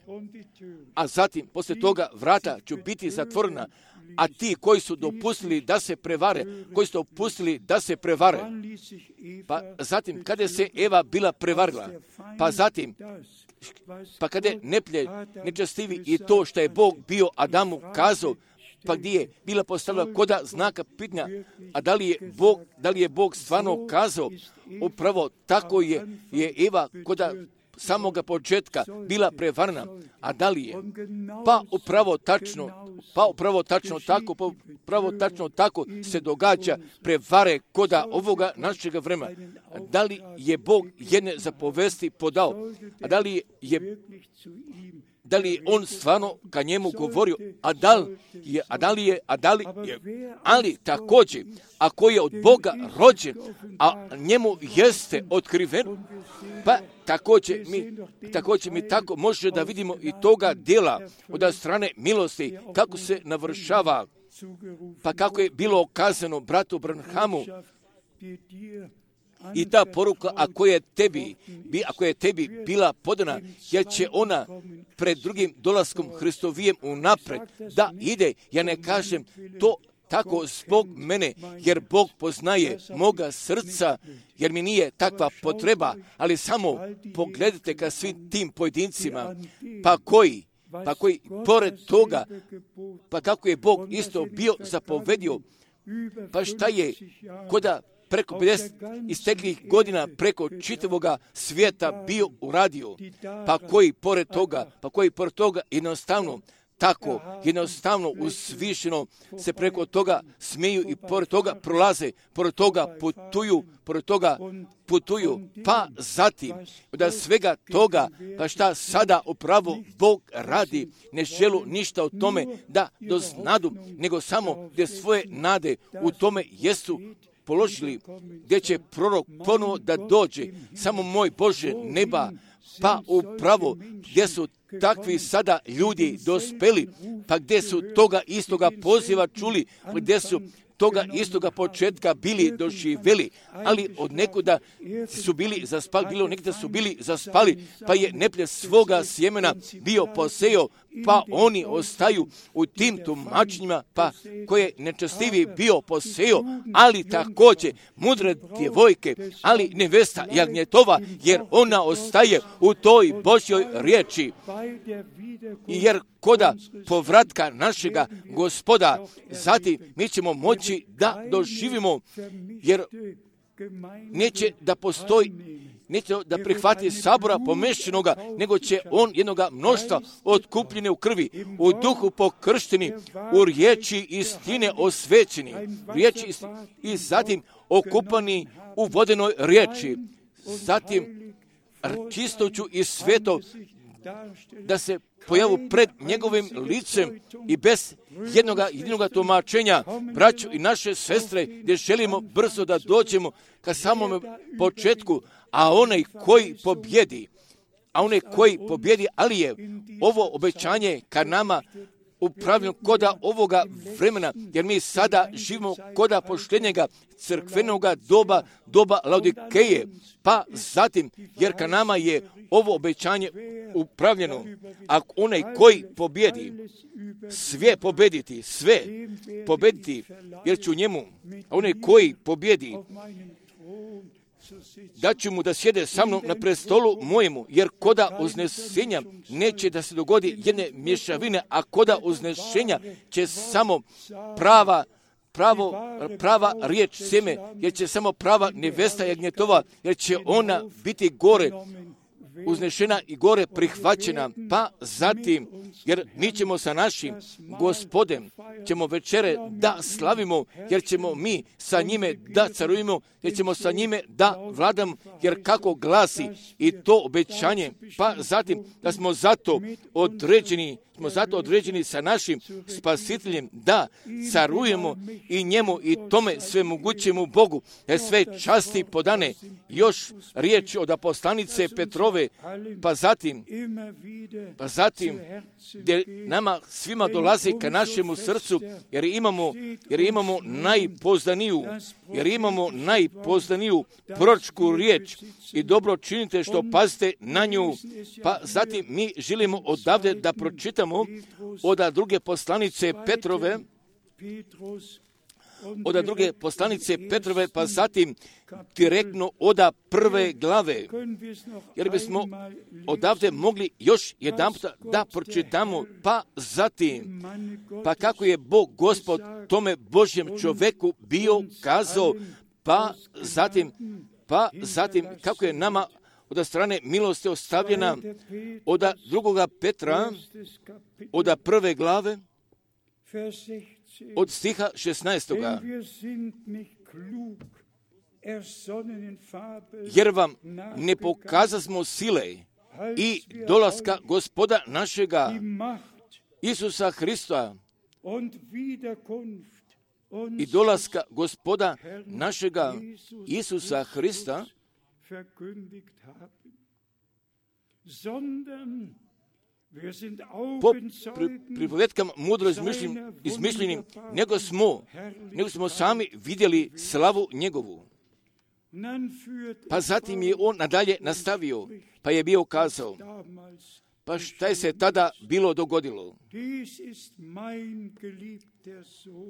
A: a zatim poslije toga vrata ću biti zatvorena, a ti koji su dopustili da se prevare, koji su dopustili da se prevare, pa zatim kada se Eva bila prevarila, pa zatim pa kada je neplje nečastivi i to što je Bog bio Adamu kazao, pa gdje je bila postavila koda znaka pitanja, a da li je Bog, da li je Bog stvarno kazao, upravo tako je, je Eva koda samoga početka bila prevarna, a da li je? Pa upravo tačno, pa upravo tačno tako, pa upravo tačno tako se događa prevare koda ovoga našega vremena. Da li je Bog jedne zapovesti podao, a da li je da li je on stvarno ka njemu govorio, a da li je, a da li je, a da li je, ali također, ako je od Boga rođen, a njemu jeste otkriven, pa također mi, također mi tako može da vidimo i toga djela od strane milosti, kako se navršava, pa kako je bilo okazano bratu Branhamu, i ta poruka, ako je tebi, ako je tebi bila podana, jer će ona pred drugim dolaskom Hristovijem unapred da ide, ja ne kažem to tako zbog mene, jer Bog poznaje moga srca, jer mi nije takva potreba, ali samo pogledajte ka svim tim pojedincima, pa koji, pa koji pored toga, pa kako je Bog isto bio zapovedio, pa šta je koda preko pedeset isteklih godina preko čitavoga svijeta bio uradio, pa koji pored toga, pa koji pored toga jednostavno tako, jednostavno uzvišeno se preko toga smiju i pored toga prolaze, pored toga putuju, pored toga putuju, pa zatim da svega toga, pa šta sada upravo Bog radi, ne želu ništa o tome da doznadu, nego samo gdje svoje nade u tome jesu položili, gdje će prorok ponovo da dođe, samo moj Bože neba, pa upravo gdje su takvi sada ljudi dospeli, pa gdje su toga istoga poziva čuli, pa gdje su toga istoga početka bili doživjeli, ali od nekuda su bili zaspali, bilo nekada su bili zaspali, pa je neprijatelj svoga sjemena bio posejao, pa oni ostaju u tim tumačenjima, pa koje nečestiviji bio posejao, ali također mudre djevojke, ali nevesta jagnjetova, jer ona ostaje u toj Božjoj riječi. Jer koda povratka našega Gospoda, zatim mi ćemo moći da doživimo, jer neće da postoji, neće da prihvati sabora pomešćenoga, nego će on jednoga mnoštva otkupljene u krvi, u duhu pokršteni, u riječi istine osvećeni, riječi istine, i zatim okupani u vodenoj riječi, zatim čistoću i sveto, da se pojavu pred njegovim licem i bez jednoga jedinoga tumačenja, braćo i naše sestre, gdje želimo brzo da dođemo ka samom početku, a onaj koji pobjedi, a onaj koji pobjedi, ali je ovo obećanje ka nama upravljeno koda ovoga vremena, jer mi sada živimo koda poštenjega crkvenoga doba, doba Laodikeje, pa zatim, jer ka nama je ovo obećanje upravljeno, a onaj koji pobjedi, sve pobediti, sve pobediti, jer ću njemu, a onaj koji pobjedi, da ću mu da sjede sa mnom na prestolu mojemu, jer koda uznesenja neće da se dogodi jedne mješavine, a koda uznešenja će samo prava pravo, prava riječ sjeme, jer će samo prava nevesta jagnjetova, jer će ona biti gore uznešena i gore prihvaćena, pa zatim, jer mi ćemo sa našim Gospodem, ćemo večere da slavimo, jer ćemo mi sa njime da carujemo, jer ćemo sa njime da vladamo, jer kako glasi i to obećanje, pa zatim da smo zato određeni, smo zato određeni sa našim Spasiteljem da carujemo i njemu i tome svemogućemu Bogu, jer sve časti podane. Još riječ od apostolnice Petrove, pa zatim, pa zatim, gdje nama svima dolazi ka našemu srcu, jer imamo, jer imamo najpozdaniju, jer imamo najpozdaniju proročku riječ i dobro činite što pazite na nju, pa zatim mi želimo odavde da pročitamo od druge poslanice Petrove, od druge poslanice Petrove, pa zatim direktno od prve glave, jer bismo odavde mogli još jedan puta da pročitamo, pa zatim, pa kako je Bog Gospod tome Božjem čoveku bio kazao, pa zatim, pa zatim kako je nama od strane milosti ostavljena od drugoga Petra, od prve glave, od stiha šesnaestoga. Jer vam ne pokazasmo sile i dolaska Gospoda našega Isusa Hrista i dolaska Gospoda našega Isusa Hrista, po pripovedkama mudro izmišljenim, izmišljenim nego smo, nego smo sami vidjeli slavu njegovu. Pa zatim je on nadalje nastavio, pa je bio kazao, pa šta je se tada bilo dogodilo?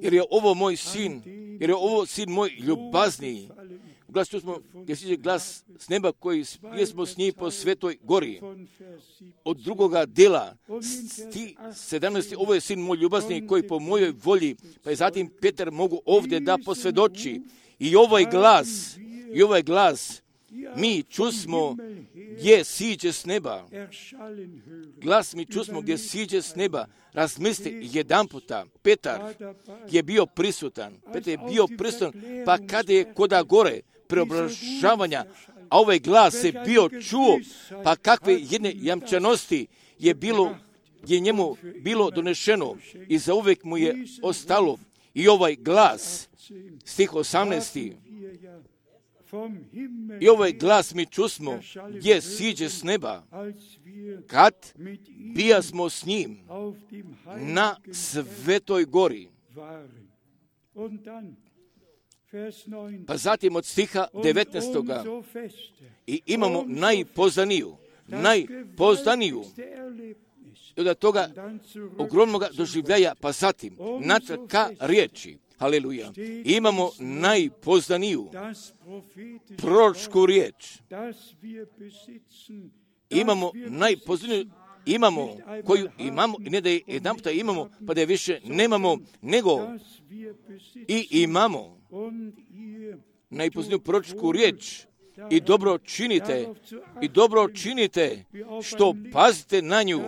A: Jer je ovo moj sin, jer je ovo sin moj ljubazniji. Glas tu smo, gdje siđe glas s neba koji smo s njim po svetoj gori. Od drugoga dela, sti sedamnaesti, ovo je sin moj ljubazni koji po mojoj volji, pa je zatim Petar mogu ovdje da posvjedoči. I ovaj glas, i ovaj glas, mi čusmo gdje siđe s neba. Glas mi čusmo gdje siđe s neba. Razmisli jedan puta, Petar je bio prisutan. Petar je bio prisutan, pa kada je koda gore preobražavanja, a ovaj glas je bio čuo, pa kakve jedne jamčanosti je bilo, je njemu bilo donešeno i zauvijek mu je ostalo. I ovaj glas, stih osamnaesti, i ovaj glas mi čusmo gdje siđe s neba, kad bija smo s njim na svetoj gori. Pa zatim od stiha devetnaestog i imamo najpozdaniju, najpozdaniju i od toga ogromnog doživljaja, pa zatim natrag ka riječi. Haleluja. Imamo najpozdaniju proročku riječ. Imamo najpozdaniju, imamo koju imamo, i ne da je jedan puta imamo, pa da je više nemamo, nego i imamo najpozdaniju proročku riječ. I dobro činite, i dobro činite što pazite na nju,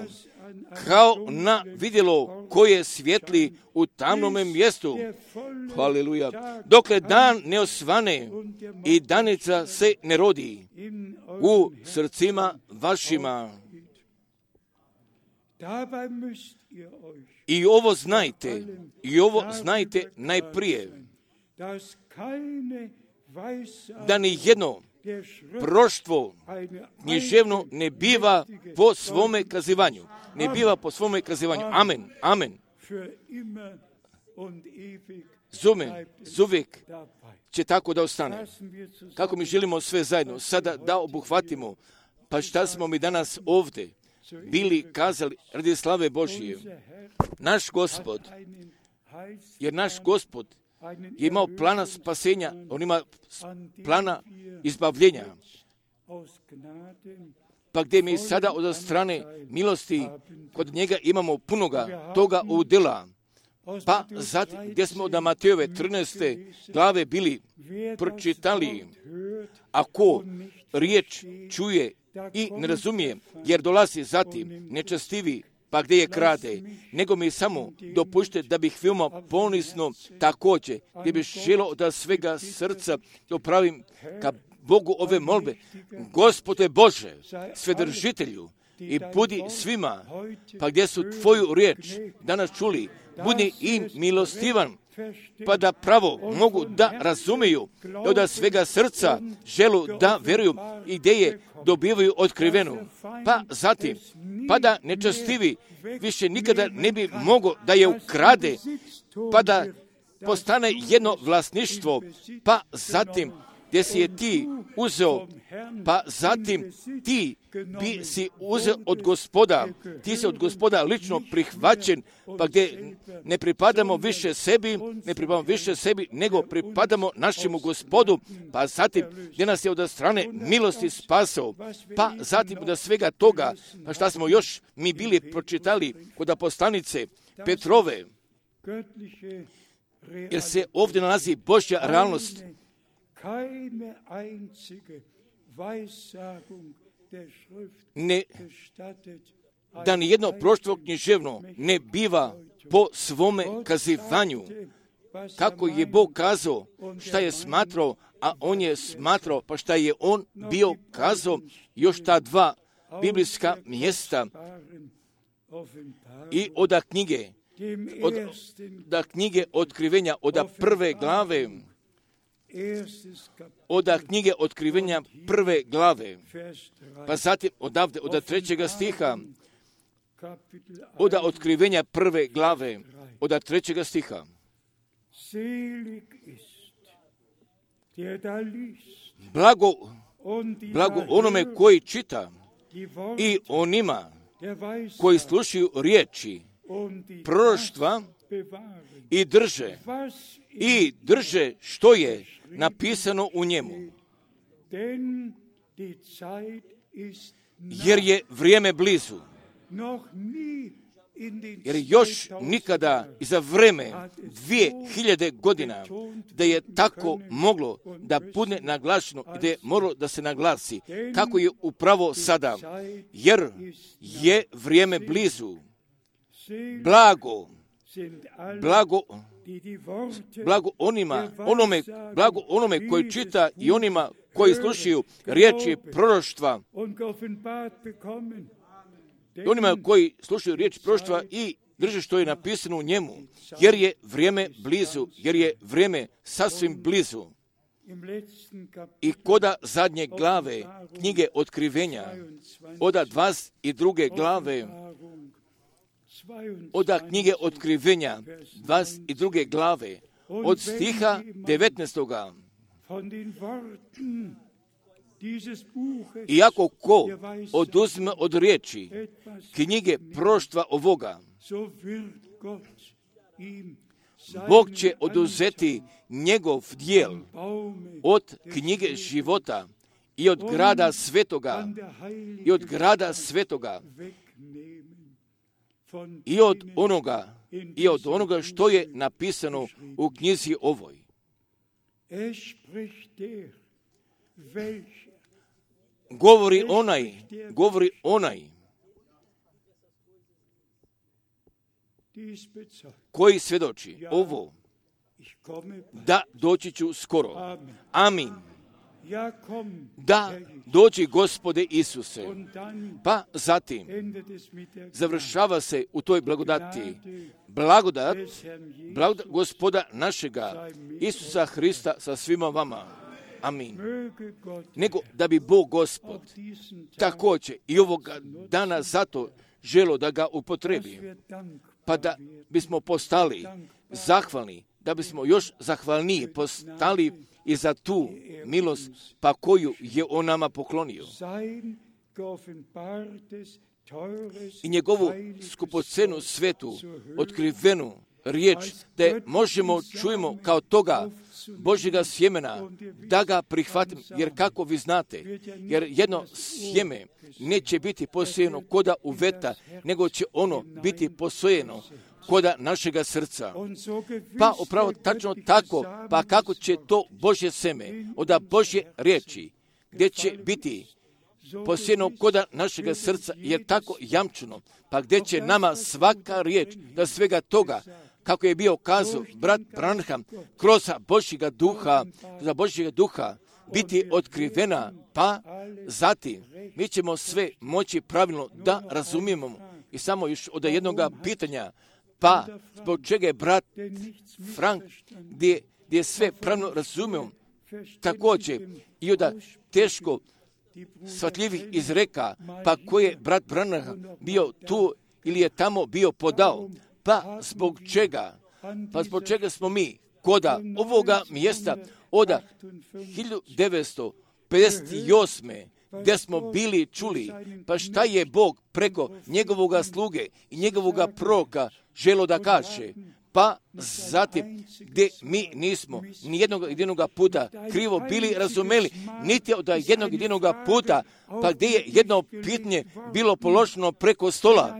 A: kao na vidjelo koje svijetli u tamnome mjestu. Haleluja. Dokle dan ne osvane i danica se ne rodi u srcima vašima. I ovo znajte, i ovo znajte najprije, da ni jedno proroštvo književno ne biva po svome kazivanju. Ne biva po svome kazivanju. Amen. Amen. Zume, zuvijek će tako da ostane. Kako mi želimo sve zajedno sada da obuhvatimo, pa šta smo mi danas ovdje bili kazali radi slave Božije. Naš Gospod, jer naš Gospod je imao plana spasenja, on ima plana izbavljenja. Pa gdje mi sada od strane milosti kod njega imamo punoga toga udjela. Pa zatim gdje smo od Matejove trinaeste glave bili pročitali, ako riječ čuje i ne razumije, jer dolazi zatim nečastivi, pa gdje je krade, nego mi samo dopušte da bih veoma ponisno također, gdje bih želio od svega srca dopravim ka Bogu ove molbe. Gospode Bože, svedržitelju, i budi svima, pa gdje su tvoju riječ danas čuli, budi im milostivan, pa da pravo mogu da razumiju, od svega srca želu da vjeruju i gdje je dobivaju otkrivenu. Pa zatim, pa da nečastivi više nikada ne bi mogo da je ukrade, pa da postane jedno vlasništvo, pa zatim gdje si je ti uzeo, pa zatim ti bi si uzeo od Gospoda, ti si od Gospoda lično prihvaćen, pa gdje ne pripadamo više sebi, ne pripadamo više sebi, nego pripadamo našemu Gospodu, pa zatim gdje nas je od strane milosti spasao, pa zatim od svega toga, pa šta smo još mi bili pročitali kod apostolnice Petrove, jer se ovdje nalazi Božja realnost, ne, da ni jedno proroštvo književno ne biva po svome kazivanju. Kako je Bog kazao, šta je smatrao, a on je smatrao, pa šta je on bio kazao, još ta dva biblijska mjesta i oda knjige, od, da knjige otkrivenja, oda prve glave, oda knjige otkrivenja prve glave, pa zatim odavde, od trećega stiha, oda otkrivenja prve glave, od trećega stiha. Blago, blago onome koji čita i onima koji slušaju riječi proroštva i drže, i drže što je napisano u njemu. Jer je vrijeme blizu. Jer još nikada i za vrijeme dvije hiljade godina da je tako moglo da bude naglašeno i da je moralo da se naglasi kako je upravo sada. Jer je vrijeme blizu. Blago, blago, blago onima, onome, blago onome koji čita i onima koji slušaju riječi proroštva. I onima koji slušaju riječi proroštva i drže što je napisano u njemu, jer je vrijeme blizu, jer je vrijeme sasvim blizu. I koda zadnje glave knjige otkrivenja, oda dvadeset druge glave, oda knjige otkrivenja, dvadeset druge glave, od stiha devetnaestoga. Iako ko oduzme od riječi knjige proštva ovoga, Bog će oduzeti njegov dijel od knjige života i od grada svetoga, i od grada svetoga, i od onoga, i od onoga što je napisano u knjizi ovoj. Govori onaj, govori onaj koji svjedoči ovo, da doći ću skoro. Amin. Da dođi Gospode Isuse. Pa zatim završava se u toj blagodati. Blagodat, blagodat Gospoda našega Isusa Hrista sa svima vama. Amin. Nego da bi Bog Gospod također i ovoga dana zato želo da ga upotrebi, pa da bismo postali zahvalni, da bismo još zahvalniji postali i za tu milost pa koju je on nama poklonio. I njegovu skupocenu svetu, otkrivenu riječ, da je možemo čujemo kao toga Božjega sjemena, da ga prihvatim, jer kako vi znate, jer jedno sjeme neće biti posijeno koda u veta, nego će ono biti posojeno koda našega srca. Pa upravo tačno tako, pa kako će to Božje seme od Božje riječi, gdje će biti posijeno koda našega srca, jer tako jamčeno, pa gdje će nama svaka riječ da svega toga, kako je bio kazao brat Branham, kroz Božjega duha, za Božjega duha biti otkrivena, pa zatim mi ćemo sve moći pravilno da razumijemo. I samo još od jednog pitanja, pa zbog čega je brat Frank, gdje, gdje sve pravilno razumijemo, također i od teško shvatljivih izreka, pa koji je brat Branham bio tu ili je tamo bio podao, pa zbog čega, pa zbog čega smo mi koda ovoga mjesta od hiljadu devetsto pedeset osme gdje smo bili čuli, pa šta je Bog preko njegovoga sluge i njegovoga proroka želo da kaže, pa zatim gdje mi nismo ni jednog jedinog puta krivo bili razumeli, niti od jednog jedinog puta, pa gdje je jedno pitanje bilo položeno preko stola,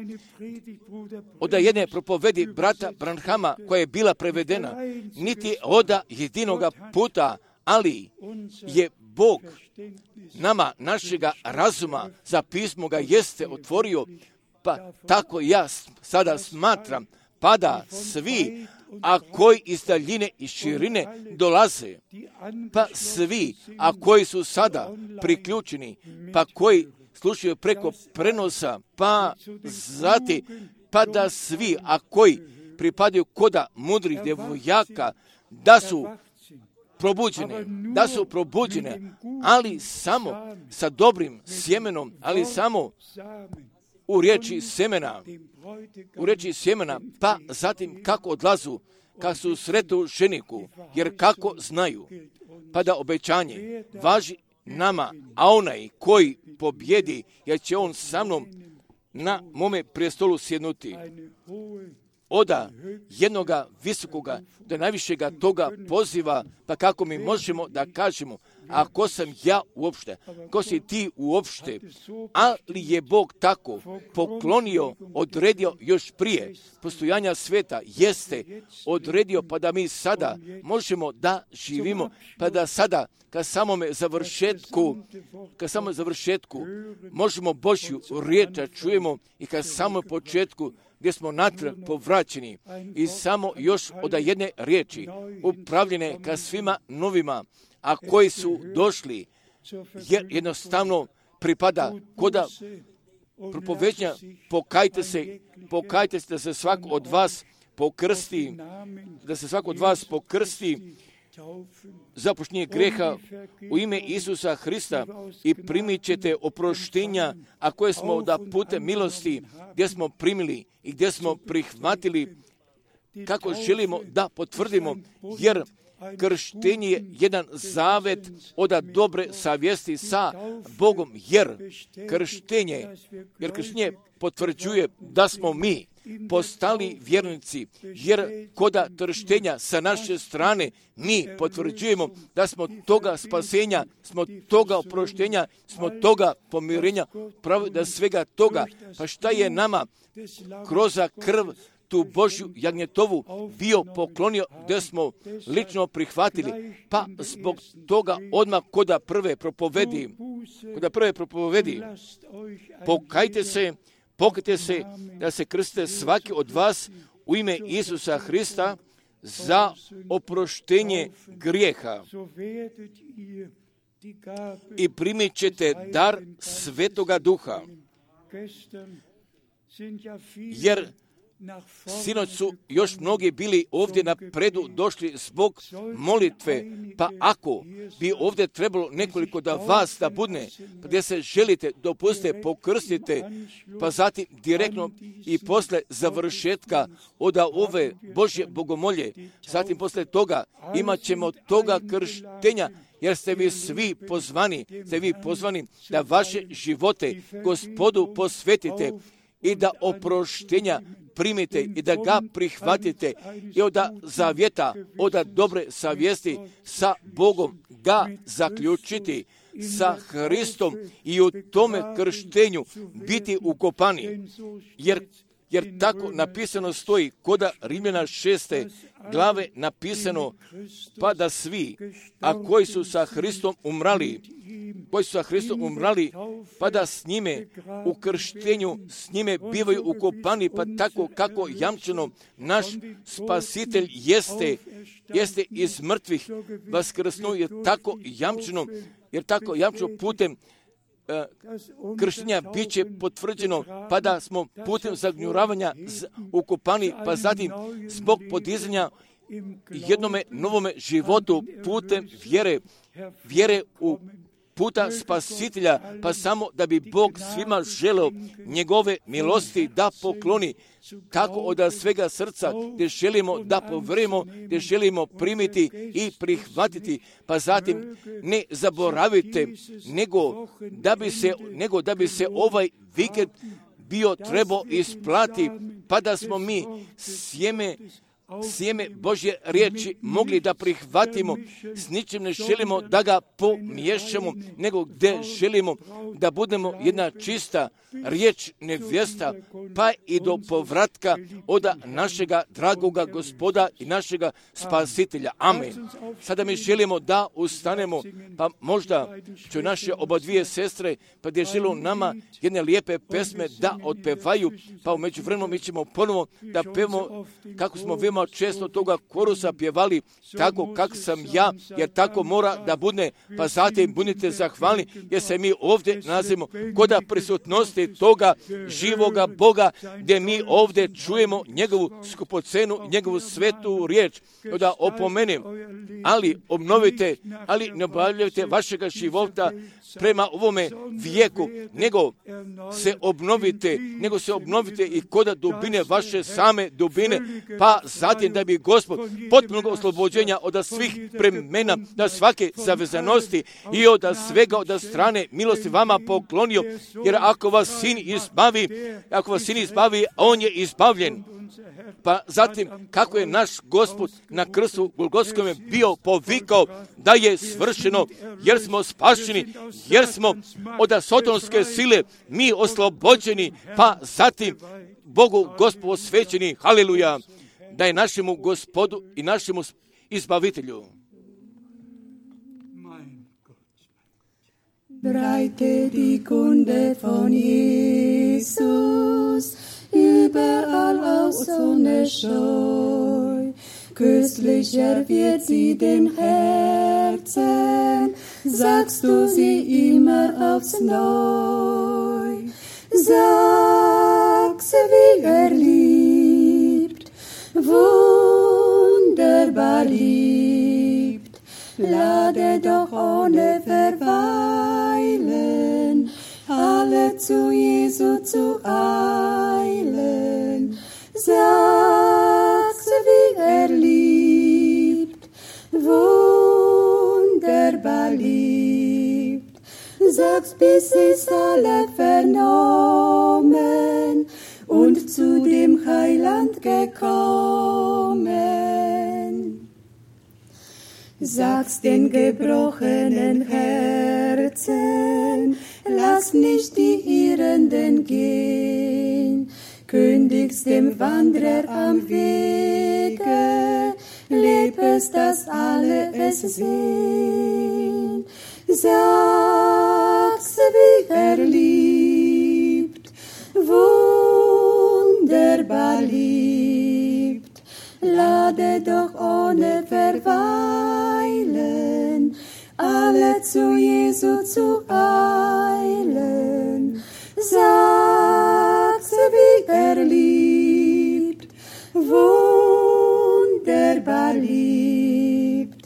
A: od jedne propovedi brata Branhama koja je bila prevedena, niti od jedinog puta, ali je Bog nama našega razuma za pismo ga jeste otvorio, pa tako ja sada smatram, pa da svi, a koji iz daljine i širine dolaze, pa svi, a koji su sada priključeni, pa koji slušaju preko prenosa, pa zati, pa da svi, a koji pripadaju koda mudrih djevojaka, da su probuđene, da su probuđene, ali samo sa dobrim sjemenom, ali samo u riječi semena, u riječi sjemena, pa zatim kako odlazu, kad su u sretu ženiku, jer kako znaju, pa da obećanje važi nama, a onaj koji pobjedi, jer će on sa mnom na mome prijestolu sjednuti. Oda jednoga visokoga, do najvišega toga poziva, pa kako mi možemo da kažemo, a ko sam ja uopšte, ko si ti uopšte, ali je Bog tako poklonio, odredio još prije postojanja sveta, jeste odredio, pa da mi sada možemo da živimo, pa da sada ka samome završetku, ka samome završetku možemo Božju riječ čujemo i ka samom početku gdje smo natrag povraćeni i samo još od jedne riječi upravljene ka svima novima, a koji su došli, jer jednostavno pripada koda propoveđenja, pokajte se, pokajte se da se svak od vas pokrsti, da se svak od vas pokrsti za oproštenje greha u ime Isusa Hrista i primit ćete oproštenja, a koje smo da putem milosti gdje smo primili i gdje smo prihvatili, kako želimo da potvrdimo, jer krštenje je jedan zavet od dobre savjesti sa Bogom, jer krštenje, jer krštenje potvrđuje da smo mi postali vjernici, jer koda krštenja sa naše strane mi potvrđujemo da smo toga spasenja, smo toga oproštenja, smo toga pomirenja, pravo da svega toga, pa šta je nama kroz krv tu Božju jagnjetovu bio poklonio, da smo lično prihvatili, pa zbog toga odmah koda prve propovedi, koda prve propovedi, pokajte se, pokajte se da se krste svaki od vas u ime Isusa Hrista za oproštenje grijeha i primit ćete dar Svetoga Duha, jer sinoć su još mnogi bili ovdje na predu došli zbog molitve, pa ako bi ovdje trebalo nekoliko da vas da budne, pa gdje se želite, dopustite, pokrstite, pa zatim direktno i posle završetka od ove Božje bogomolje, zatim posle toga imat ćemo toga krštenja, jer ste vi svi pozvani, ste vi pozvani da vaše živote Gospodu posvetite i da oproštenja primite i da ga prihvatite i od zavjeta, od dobre savjesti sa Bogom ga zaključiti, sa Hristom i u tome krštenju biti ukopani. Jer, jer tako napisano stoji koda Rimljana šeste glave napisano, pa da svi, a koji su sa Hristom umrali, koji su sa Hristom umrali, pa da s njime u krštenju s njime bivaju ukopani, pa tako kako jamčeno naš Spasitelj jeste, jeste iz mrtvih vaskrsnuo, jer tako jamčeno, jer tako jamčeno putem uh, krštenja bit će potvrđeno, pa da smo putem zagnjuravanja ukopani, pa zatim zbog podizanja jednome novome životu putem vjere, vjere u puta Spasitelja, pa samo da bi Bog svima želeo njegove milosti da pokloni, tako od svega srca, gdje želimo da poverujemo, gdje želimo primiti i prihvatiti, pa zatim ne zaboravite, nego da bi se, nego da bi se ovaj vikend bio trebao isplati, pa da smo mi sjeme sjeme Božje riječi mogli da prihvatimo, s ničim ne želimo da ga pomiješamo, nego gdje želimo da budemo jedna čista riječ nevjesta, pa i do povratka od našega dragoga Gospoda i našega Spasitelja. Amen. Sada mi želimo da ustanemo, pa možda će naše oba dvije sestre, pa gdje želimo nama jedne lijepe pesme da otpevaju, pa u međuvremenu mi ćemo ponovo da pevamo kako smo veoma često toga korusa pjevali, tako kak sam ja, jer tako mora da bude, pa zatim budite zahvalni, jer se mi ovdje nalazimo koda prisutnosti toga živoga Boga, gdje mi ovdje čujemo njegovu skupocenu, njegovu svetu riječ. Da opomenem, ali obnovite, ali ne obavljajte vašega života prema ovome vijeku, nego se obnovite, nego se obnovite i koda dubine vaše same dubine, pa zatim da bi Gospod potpunog oslobođenja od svih premena, da svake zavezanosti i od svega od strane milosti vama poklonio, jer ako vas sin izbavi, ako vas sin izbavi, on je izbavljen. Pa zatim, kako je naš Gospod na krstu Golgotskome bio povikao da je svršeno, jer smo spašeni, jer smo od sotonske sile mi oslobođeni, pa zatim Bogu Gospodu osvećeni, haleluja, da je našemu Gospodu i našemu izbavitelju.
E: Breite die Kunde von Jesus überall aus ohne Scheu. Köstlicher wird sie dem Herzen, sagst du sie immer aufs Neu. Sag sie, wie er liebt, wunderbar liebt. Lade doch ohne Verweilen alle zu Jesu zu eilen. Sag sie, wie liebt. Sag's, bis es alle vernommen und zu dem Heiland gekommen. Sag's den gebrochenen Herzen, lass nicht die Irrenden gehen. Kündigst dem Wanderer am Wege, leb es, dass alle es sehen. Sag's, wie er liebt, wunderbar liebt. Lade doch ohne Verweilen alle zu Jesu zu eilen. Sag's, wie er liebt, wunderbar liebt.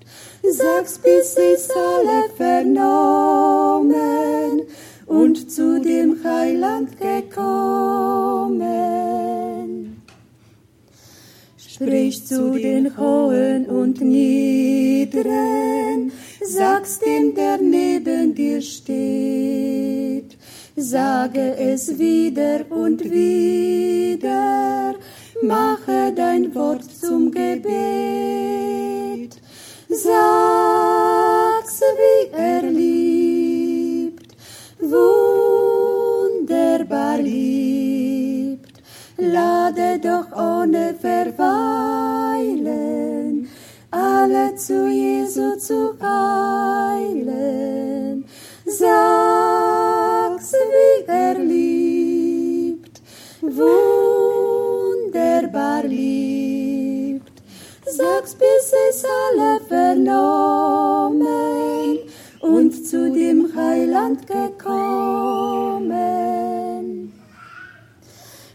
E: Sag's, bis es alle vernommen und zu dem Heiland gekommen. Sprich zu den Hohen und Niederen, sag's dem, der neben dir steht. Sage es wieder und wieder, mache dein Wort zum Gebet. Sag's, wie er liebt, wunderbar liebt. Lade doch ohne Verweilen alle zu Jesu zu eilen. Sag's, wie er liebt, wunderbar liebt. Sag's, bis es alle vernommen und zu dem Heiland gekommen.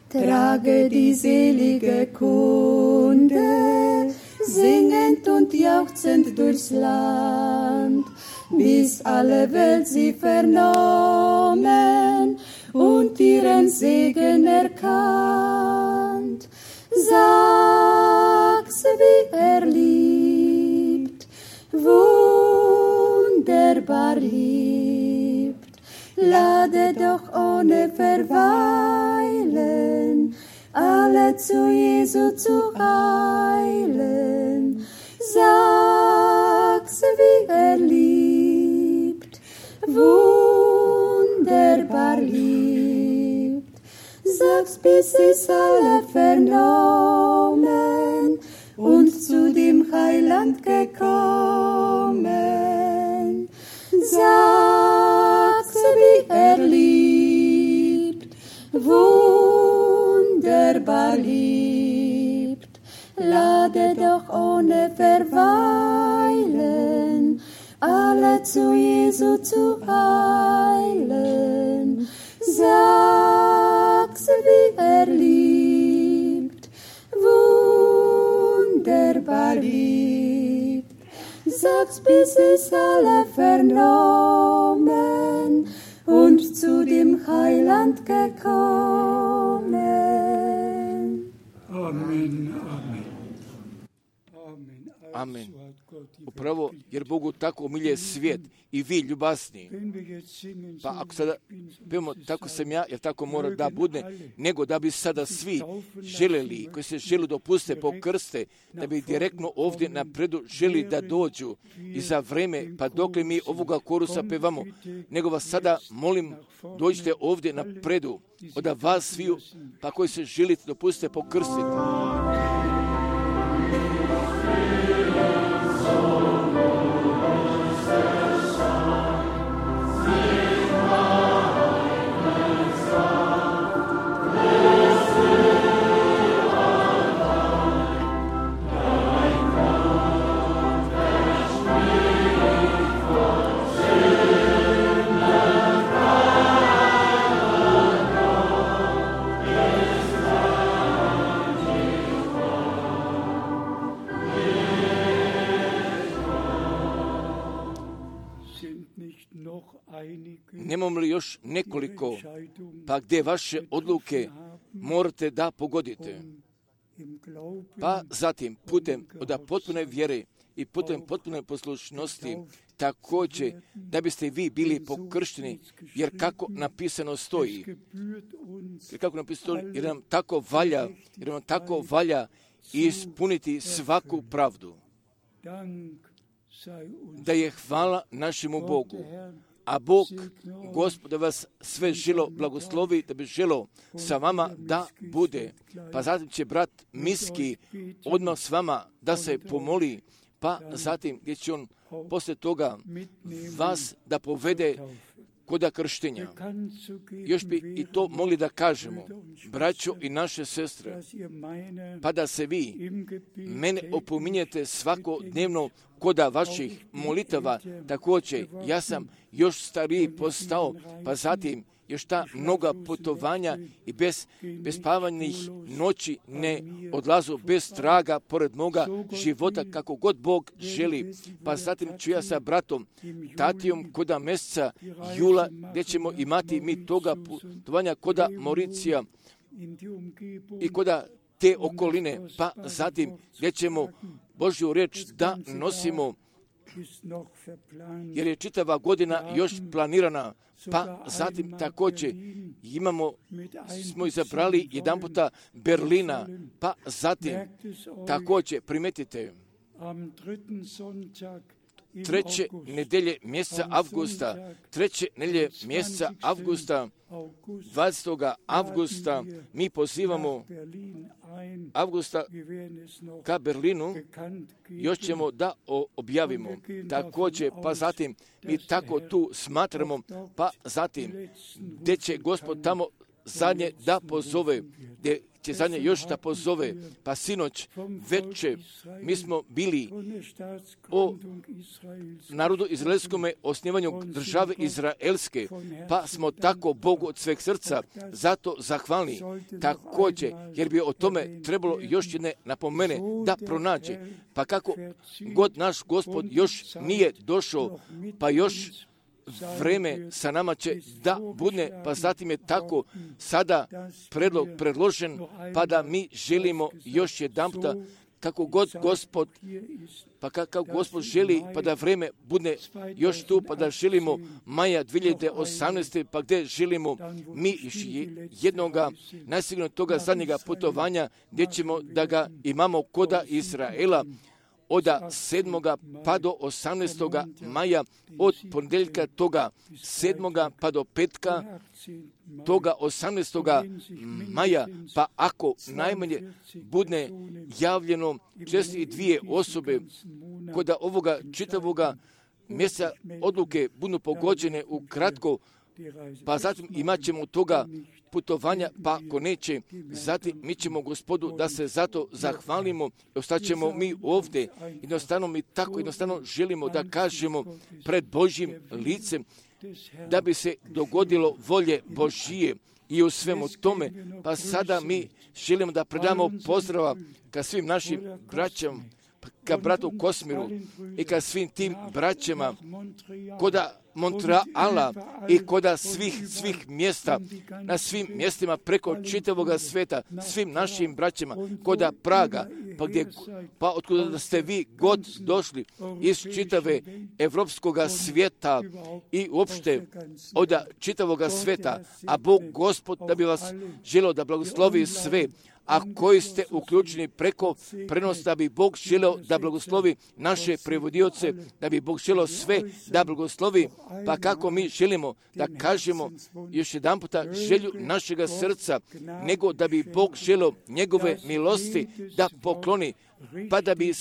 E: Trage die selige Kunde, singend und jauchzend durchs Land, bis alle Welt sie vernommen und ihren Segen erkannt. Sag's, wie er liebt, wunderbar liebt. Lade doch ohne Verweilen alle zu Jesu zu eilen. Sag's, wie er liebt, wunderbar liebt. Sag's, bis es alle vernommen und zu dem Heiland gekommen. Sag's, wie er liebt, wunderbar liebt. Lade doch ohne Verweilen alle zu Jesu zu eilen. Sag's, wie er liebt, wunderbar liebt. Sag's, bis es alle vernommen und zu dem Heiland gekommen.
F: Amen, amen.
A: Amen. Upravo, jer Bogu tako umilje svijet i vi ljubasni. Pa ako sada pevamo tako sam ja, jer tako mora da bude, nego da bi sada svi želeli, koji se želi dopuste pokrste, da bi direktno ovdje napredu želi da dođu i za vreme, pa dokle mi ovoga korusa pevamo, nego vas sada molim, dođite ovdje napredu, od vas sviju, pa koji se želite dopuste pokrstiti. Nemamo li još nekoliko, pa gdje vaše odluke morate da pogodite? Pa zatim, putem od potpune vjere i putem potpune poslušnosti također da biste vi bili pokršteni, jer kako napisano stoji, jer kako napisano stoji, jer nam tako valja, jer nam tako valja ispuniti svaku pravdu. Da je hvala našemu Bogu. A Bog, Gospod, da vas sve želo blagoslovi, da bi želo sa vama da bude. Pa zatim će brat Miski odmah s vama da se pomoli, pa zatim gdje će on poslije toga vas da povede koda krštenja. Još bi i to mogli da kažemo, braćo i naše sestre, pa da se vi mene opominjete svakodnevno koda vaših molitava. Također, ja sam još stariji postao, pa zatim još ta mnoga putovanja i bez, bez spavanih noći ne odlazu bez traga pored moga života kako god Bog želi. Pa zatim ću ja sa bratom Tatijom koda mjeseca jula gdje ćemo imati mi toga putovanja koda Mauricija i koda te okoline, pa zatim gdje ćemo Božju riječ da nosimo, jer je čitava godina još planirana, pa zatim također imamo, smo izabrali jedan puta Berlina, pa zatim također primetite treće nedelje mjeseca avgusta, treće nedelje mjeseca avgusta, dvadesetog avgusta mi pozivamo avgusta ka Berlinu, još ćemo da objavimo. Također, pa zatim mi tako tu smatramo, pa zatim gdje će Gospod tamo zadnje da pozove, gdje će zadnje još da pozove, pa sinoć večer mi smo bili o narodu izraelskome, osnivanju države izraelske, pa smo tako Bogu od sveg srca zato zahvalni. Također, jer bi o tome trebalo još jedne napomene da pronađe, pa kako god naš Gospod još nije došao, pa još vreme sa nama će da bude, pa zatim je tako sada predlog predložen, pa da mi želimo još jedan puta, kako god Gospod, pa kako Gospod želi, pa da vreme bude još tu, pa da želimo maja dvije hiljade osamnaeste. pa gdje želimo mi jednoga, najsigurno toga zadnjega putovanja, gdje ćemo da ga imamo koda Izraela, od sedmoga pa do osamnaestoga maja, od ponedjeljka toga sedmoga pa do petka toga osamnaestoga maja, pa ako najmanje bude javljeno četiri dvije osobe koda ovoga čitavoga mjeseca odluke budu pogođene u kratko, pa zatim imat ćemo toga putovanja, pa ako neće, zatim mi ćemo Gospodu da se zato zahvalimo, ostaćemo mi ovdje, jednostavno mi tako jednostavno želimo da kažemo pred Božjim licem, da bi se dogodilo volje Božije i u svemu tome, pa sada mi želimo da predamo pozdrava ka svim našim braćama, ka bratu Kosmiru i ka svim tim braćama koda Montreala i koda svih, svih mjesta, na svim mjestima preko čitavoga sveta, svim našim braćama, koda Praga, pa, gdje, pa otkuda ste vi god došli iz čitave evropskoga svijeta i uopšte od čitavoga sveta, a Bog Gospod da bi vas želio da blagoslovi sve, a koji ste uključeni preko prenosa, da bi Bog želio da blagoslovi naše prevodioce, da bi Bog želio sve da blagoslovi, pa kako mi želimo da kažemo još jedan puta želju našega srca, nego da bi Bog želio njegove milosti da pokloni, pa da bi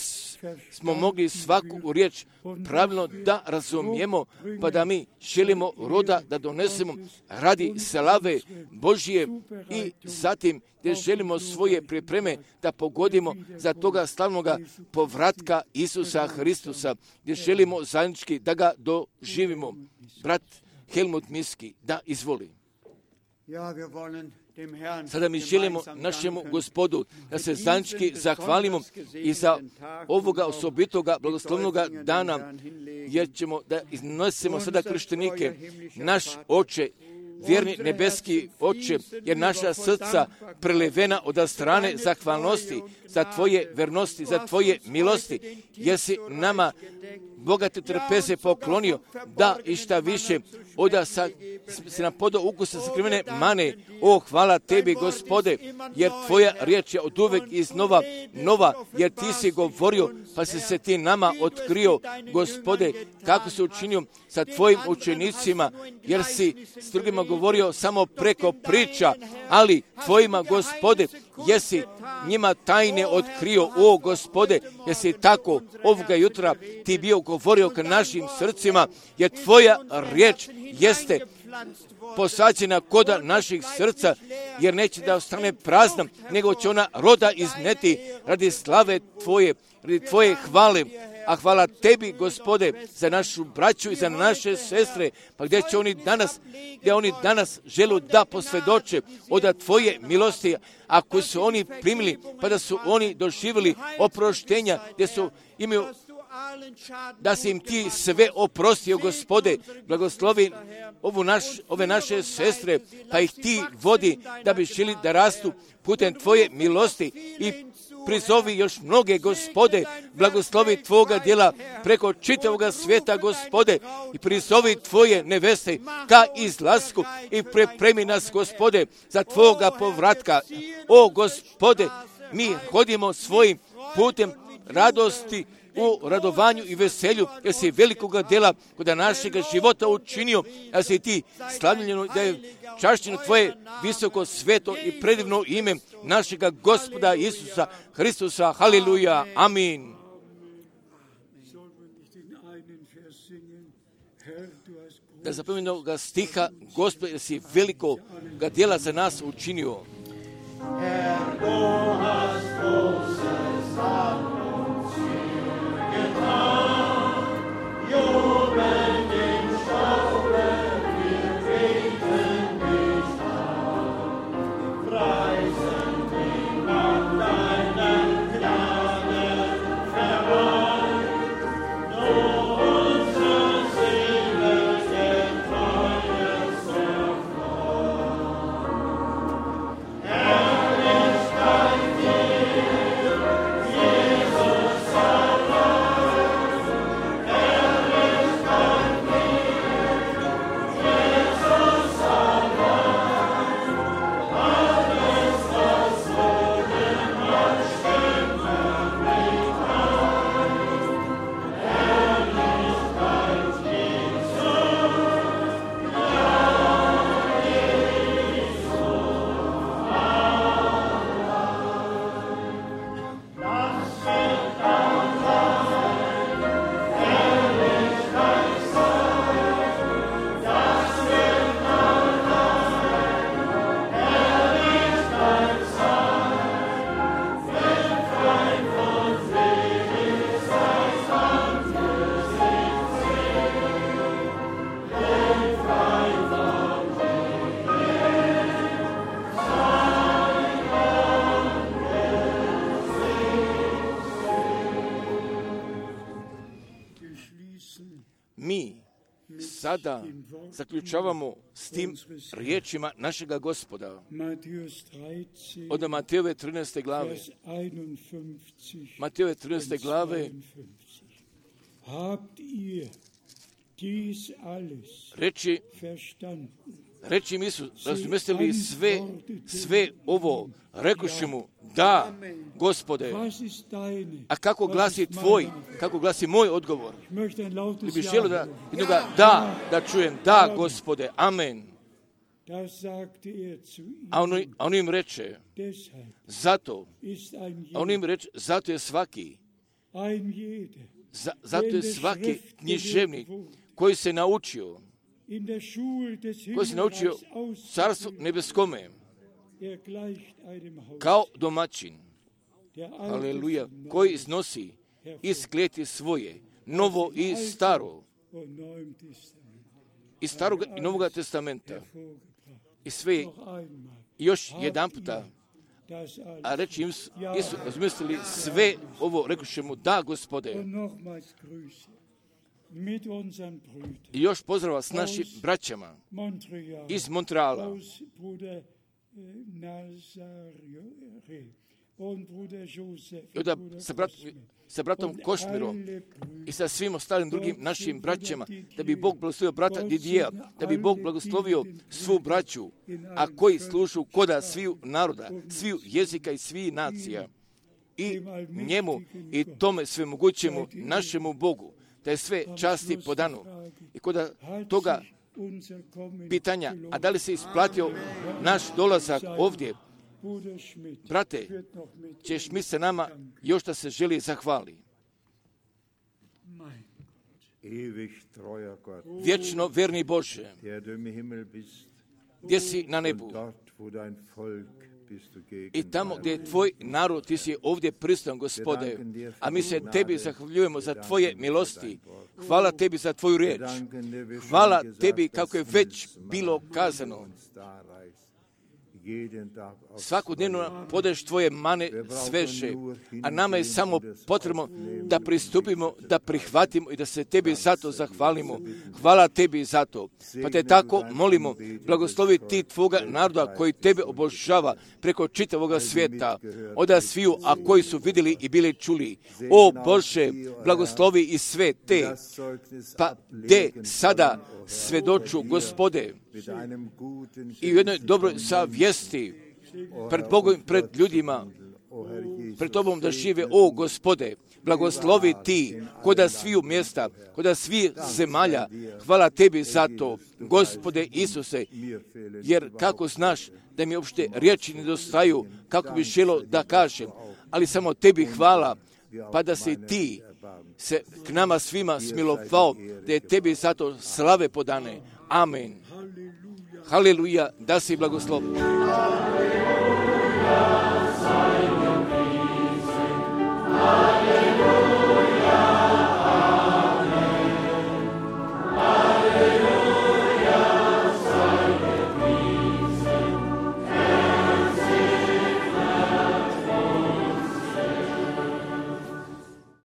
A: smo mogli svaku riječ pravilno da razumijemo, pa da mi želimo roda da donesemo radi slave Božije i zatim gdje želimo svoje pripreme da pogodimo za toga slavnoga povratka Isusa Hristusa, gdje želimo zajednički da ga doživimo. Brat Helmut Miski, da izvoli. Sada mi želimo našemu Gospodu da se zajednički zahvalimo i za ovoga osobitoga blagoslovnoga dana, jer ćemo da iznosimo sada krštenike. Naš Oče, vjerni nebeski Oče, jer naša srca prelevena od strane zahvalnosti za Tvoje vernosti, za Tvoje milosti, jer si nama bogate trpeze poklonio, da i šta više, oda sa, se nam podao ukusa sakrivene mane. O, hvala tebi, Gospode, jer tvoja riječ je od uvek iznova nova, jer ti si govorio, pa si se ti nama otkrio, Gospode, kako si učinio sa tvojim učenicima, jer si s drugima govorio samo preko priča, ali tvojima, Gospode, jesi njima tajne otkrio, o Gospode, jesi tako ovoga jutra ti bio govorio ka našim srcima, jer tvoja riječ jeste posađena koda naših srca, jer neće da ostane prazna, nego će ona roda izneti radi slave tvoje, radi tvoje hvale. A hvala tebi, Gospode, za našu braću i za naše sestre, pa gdje će oni danas, gdje oni danas žele da posvjedoče od tvoje milosti, ako su oni primili, pa da su oni doživjeli oproštenja, gdje su imaju, da si im ti sve oprostio, Gospode, blagoslovi ovu naš, ove naše sestre, pa ih ti vodi da bi želi da rastu putem tvoje milosti i prizovi još mnoge, Gospode, blagoslovi tvoga djela preko čitavoga svijeta, Gospode, i prizovi tvoje neveste ka izlasku i pripremi nas, Gospode, za tvoga povratka. O, Gospode, mi hodimo svojim putem radosti, u radovanju i veselju, jer si velikoga djela kod našega života učinio, da si ti slavljeno, da je čašćeno tvoje visoko, sveto i predivno ime našega Gospoda Isusa Hristusa. Haleluja. Amin. Da zapomenu ga stiha, Gospod, jer si velikoga djela za nas učinio.
C: Herr, du hast großes an uns getan, jubelnd im Staube, wir treten dich an, preisen dich nach deinem Gnadenverein, du unsere Seele den Treues erfreut. Herrlichkeit dir, Jesus allein, Herrlichkeit dir, Jesus allein, alles, was so den Mann stimmen nicht heißt. Herrlichkeit Jesus, lass wird allein Herrlichkeit sein, das wird allein Herrlichkeit sein, wenn Freund und selig sei Angesicht sehen, wenn Freund und
A: Mi sada zaključavamo s tim riječima našega Gospoda.
F: Matthäus dreizehn,
A: Od Matejove trinaeste glave.
F: Vers einundfünfzig
A: Matejove trinaeste
F: und
A: glave.
F: zweiundfünfzig. Habt ihr dies alles
A: Reči,
F: verstanden?
A: reči mi su, razumjeste li sve, sve ovo? Rekuši mu, da, Gospode.
F: Was ist deine?
A: A kako
F: Was
A: glasi
F: ist
A: tvoj,
F: meine?
A: kako glasi moj odgovor?
F: Ich möchte ein
A: Li
F: lautes
A: bi
F: Ja
A: želio da,
F: hören.
A: jednoga da, da čujem, da, Gospode, amen.
F: Das sagte er zu ihm.
A: A on, a on im reče,
F: Deshalb
A: zato,
F: ist ein
A: a on im
F: jeder,
A: reče, zato je svaki,
F: ein jeder,
A: za, zato je svaki književnik koji se naučio,
F: in der Schule des
A: koji se naučio
F: Himmelreichs
A: carstvu
F: auszuführen.
A: nebeskome,
F: Er gleicht einem Haus,
A: kao domaćin,
F: der
A: aleluja,
F: Altes
A: koji
F: Neues
A: iznosi iz kleti svoje, novo i staro,
F: und Neuem Testament
A: iz starog i novog testamenta,
F: hervorgebracht.
A: i sve,
F: Noch einmal,
A: i još jedan puta,
F: das alles.
A: a reći im, Isu, razmislili sve ovo, rekuše mu, da, Gospode,
F: Und nochmals Grüße mit unseren Brüdern.
A: i još pozdrava s našim braćama
F: Montreal,
A: iz Montreala,
F: aus Bruder äh, Nazare,
A: I onda sa, brat, sa bratom Košmirom i sa svim ostalim drugim našim braćama, da bi Bog blagoslovio brata Didija, da bi Bog blagoslovio svu braću, a koji služu koda sviju naroda, sviju jezika i svih nacija. I njemu i tome svemogućemu našemu Bogu, da je sve časti podano. I koda toga pitanja, a da li se isplatio naš dolazak ovdje, brate, ćeš mi se nama još da se želi zahvali. Vječno verni Bože, gdje si na nebu i tamo gdje je tvoj narod, ti si ovdje prisutan, Gospode, a mi se tebi zahvaljujemo za tvoje milosti. Hvala tebi za tvoju riječ. Hvala tebi kako je već bilo kazano. Svakodnevno podaješ tvoje mane sveže, a nama je samo potrebno da pristupimo, da prihvatimo i da se tebi zato zahvalimo. Hvala tebi zato. Pa te tako molimo, blagoslovi ti tvoga naroda koji tebe obožava preko čitavoga svijeta, oda sviju, a koji su vidjeli i bili čuli. O Bože, blagoslovi i sve te, pa de sada svedoču, Gospode, i u jednoj dobroj savjesti pred Bogom, pred ljudima, pred Tobom da žive. O Gospode, blagoslovi ti koda sviju mjesta, koda svih zemalja. Hvala tebi za to, Gospode Isuse, jer kako znaš da mi uopšte riječi nedostaju, kako bi želo da kažem, ali samo tebi hvala, pa da si ti se k nama svima smilovao, da je tebi zato slave podane. Amen. Haleluja, da si blagosloven.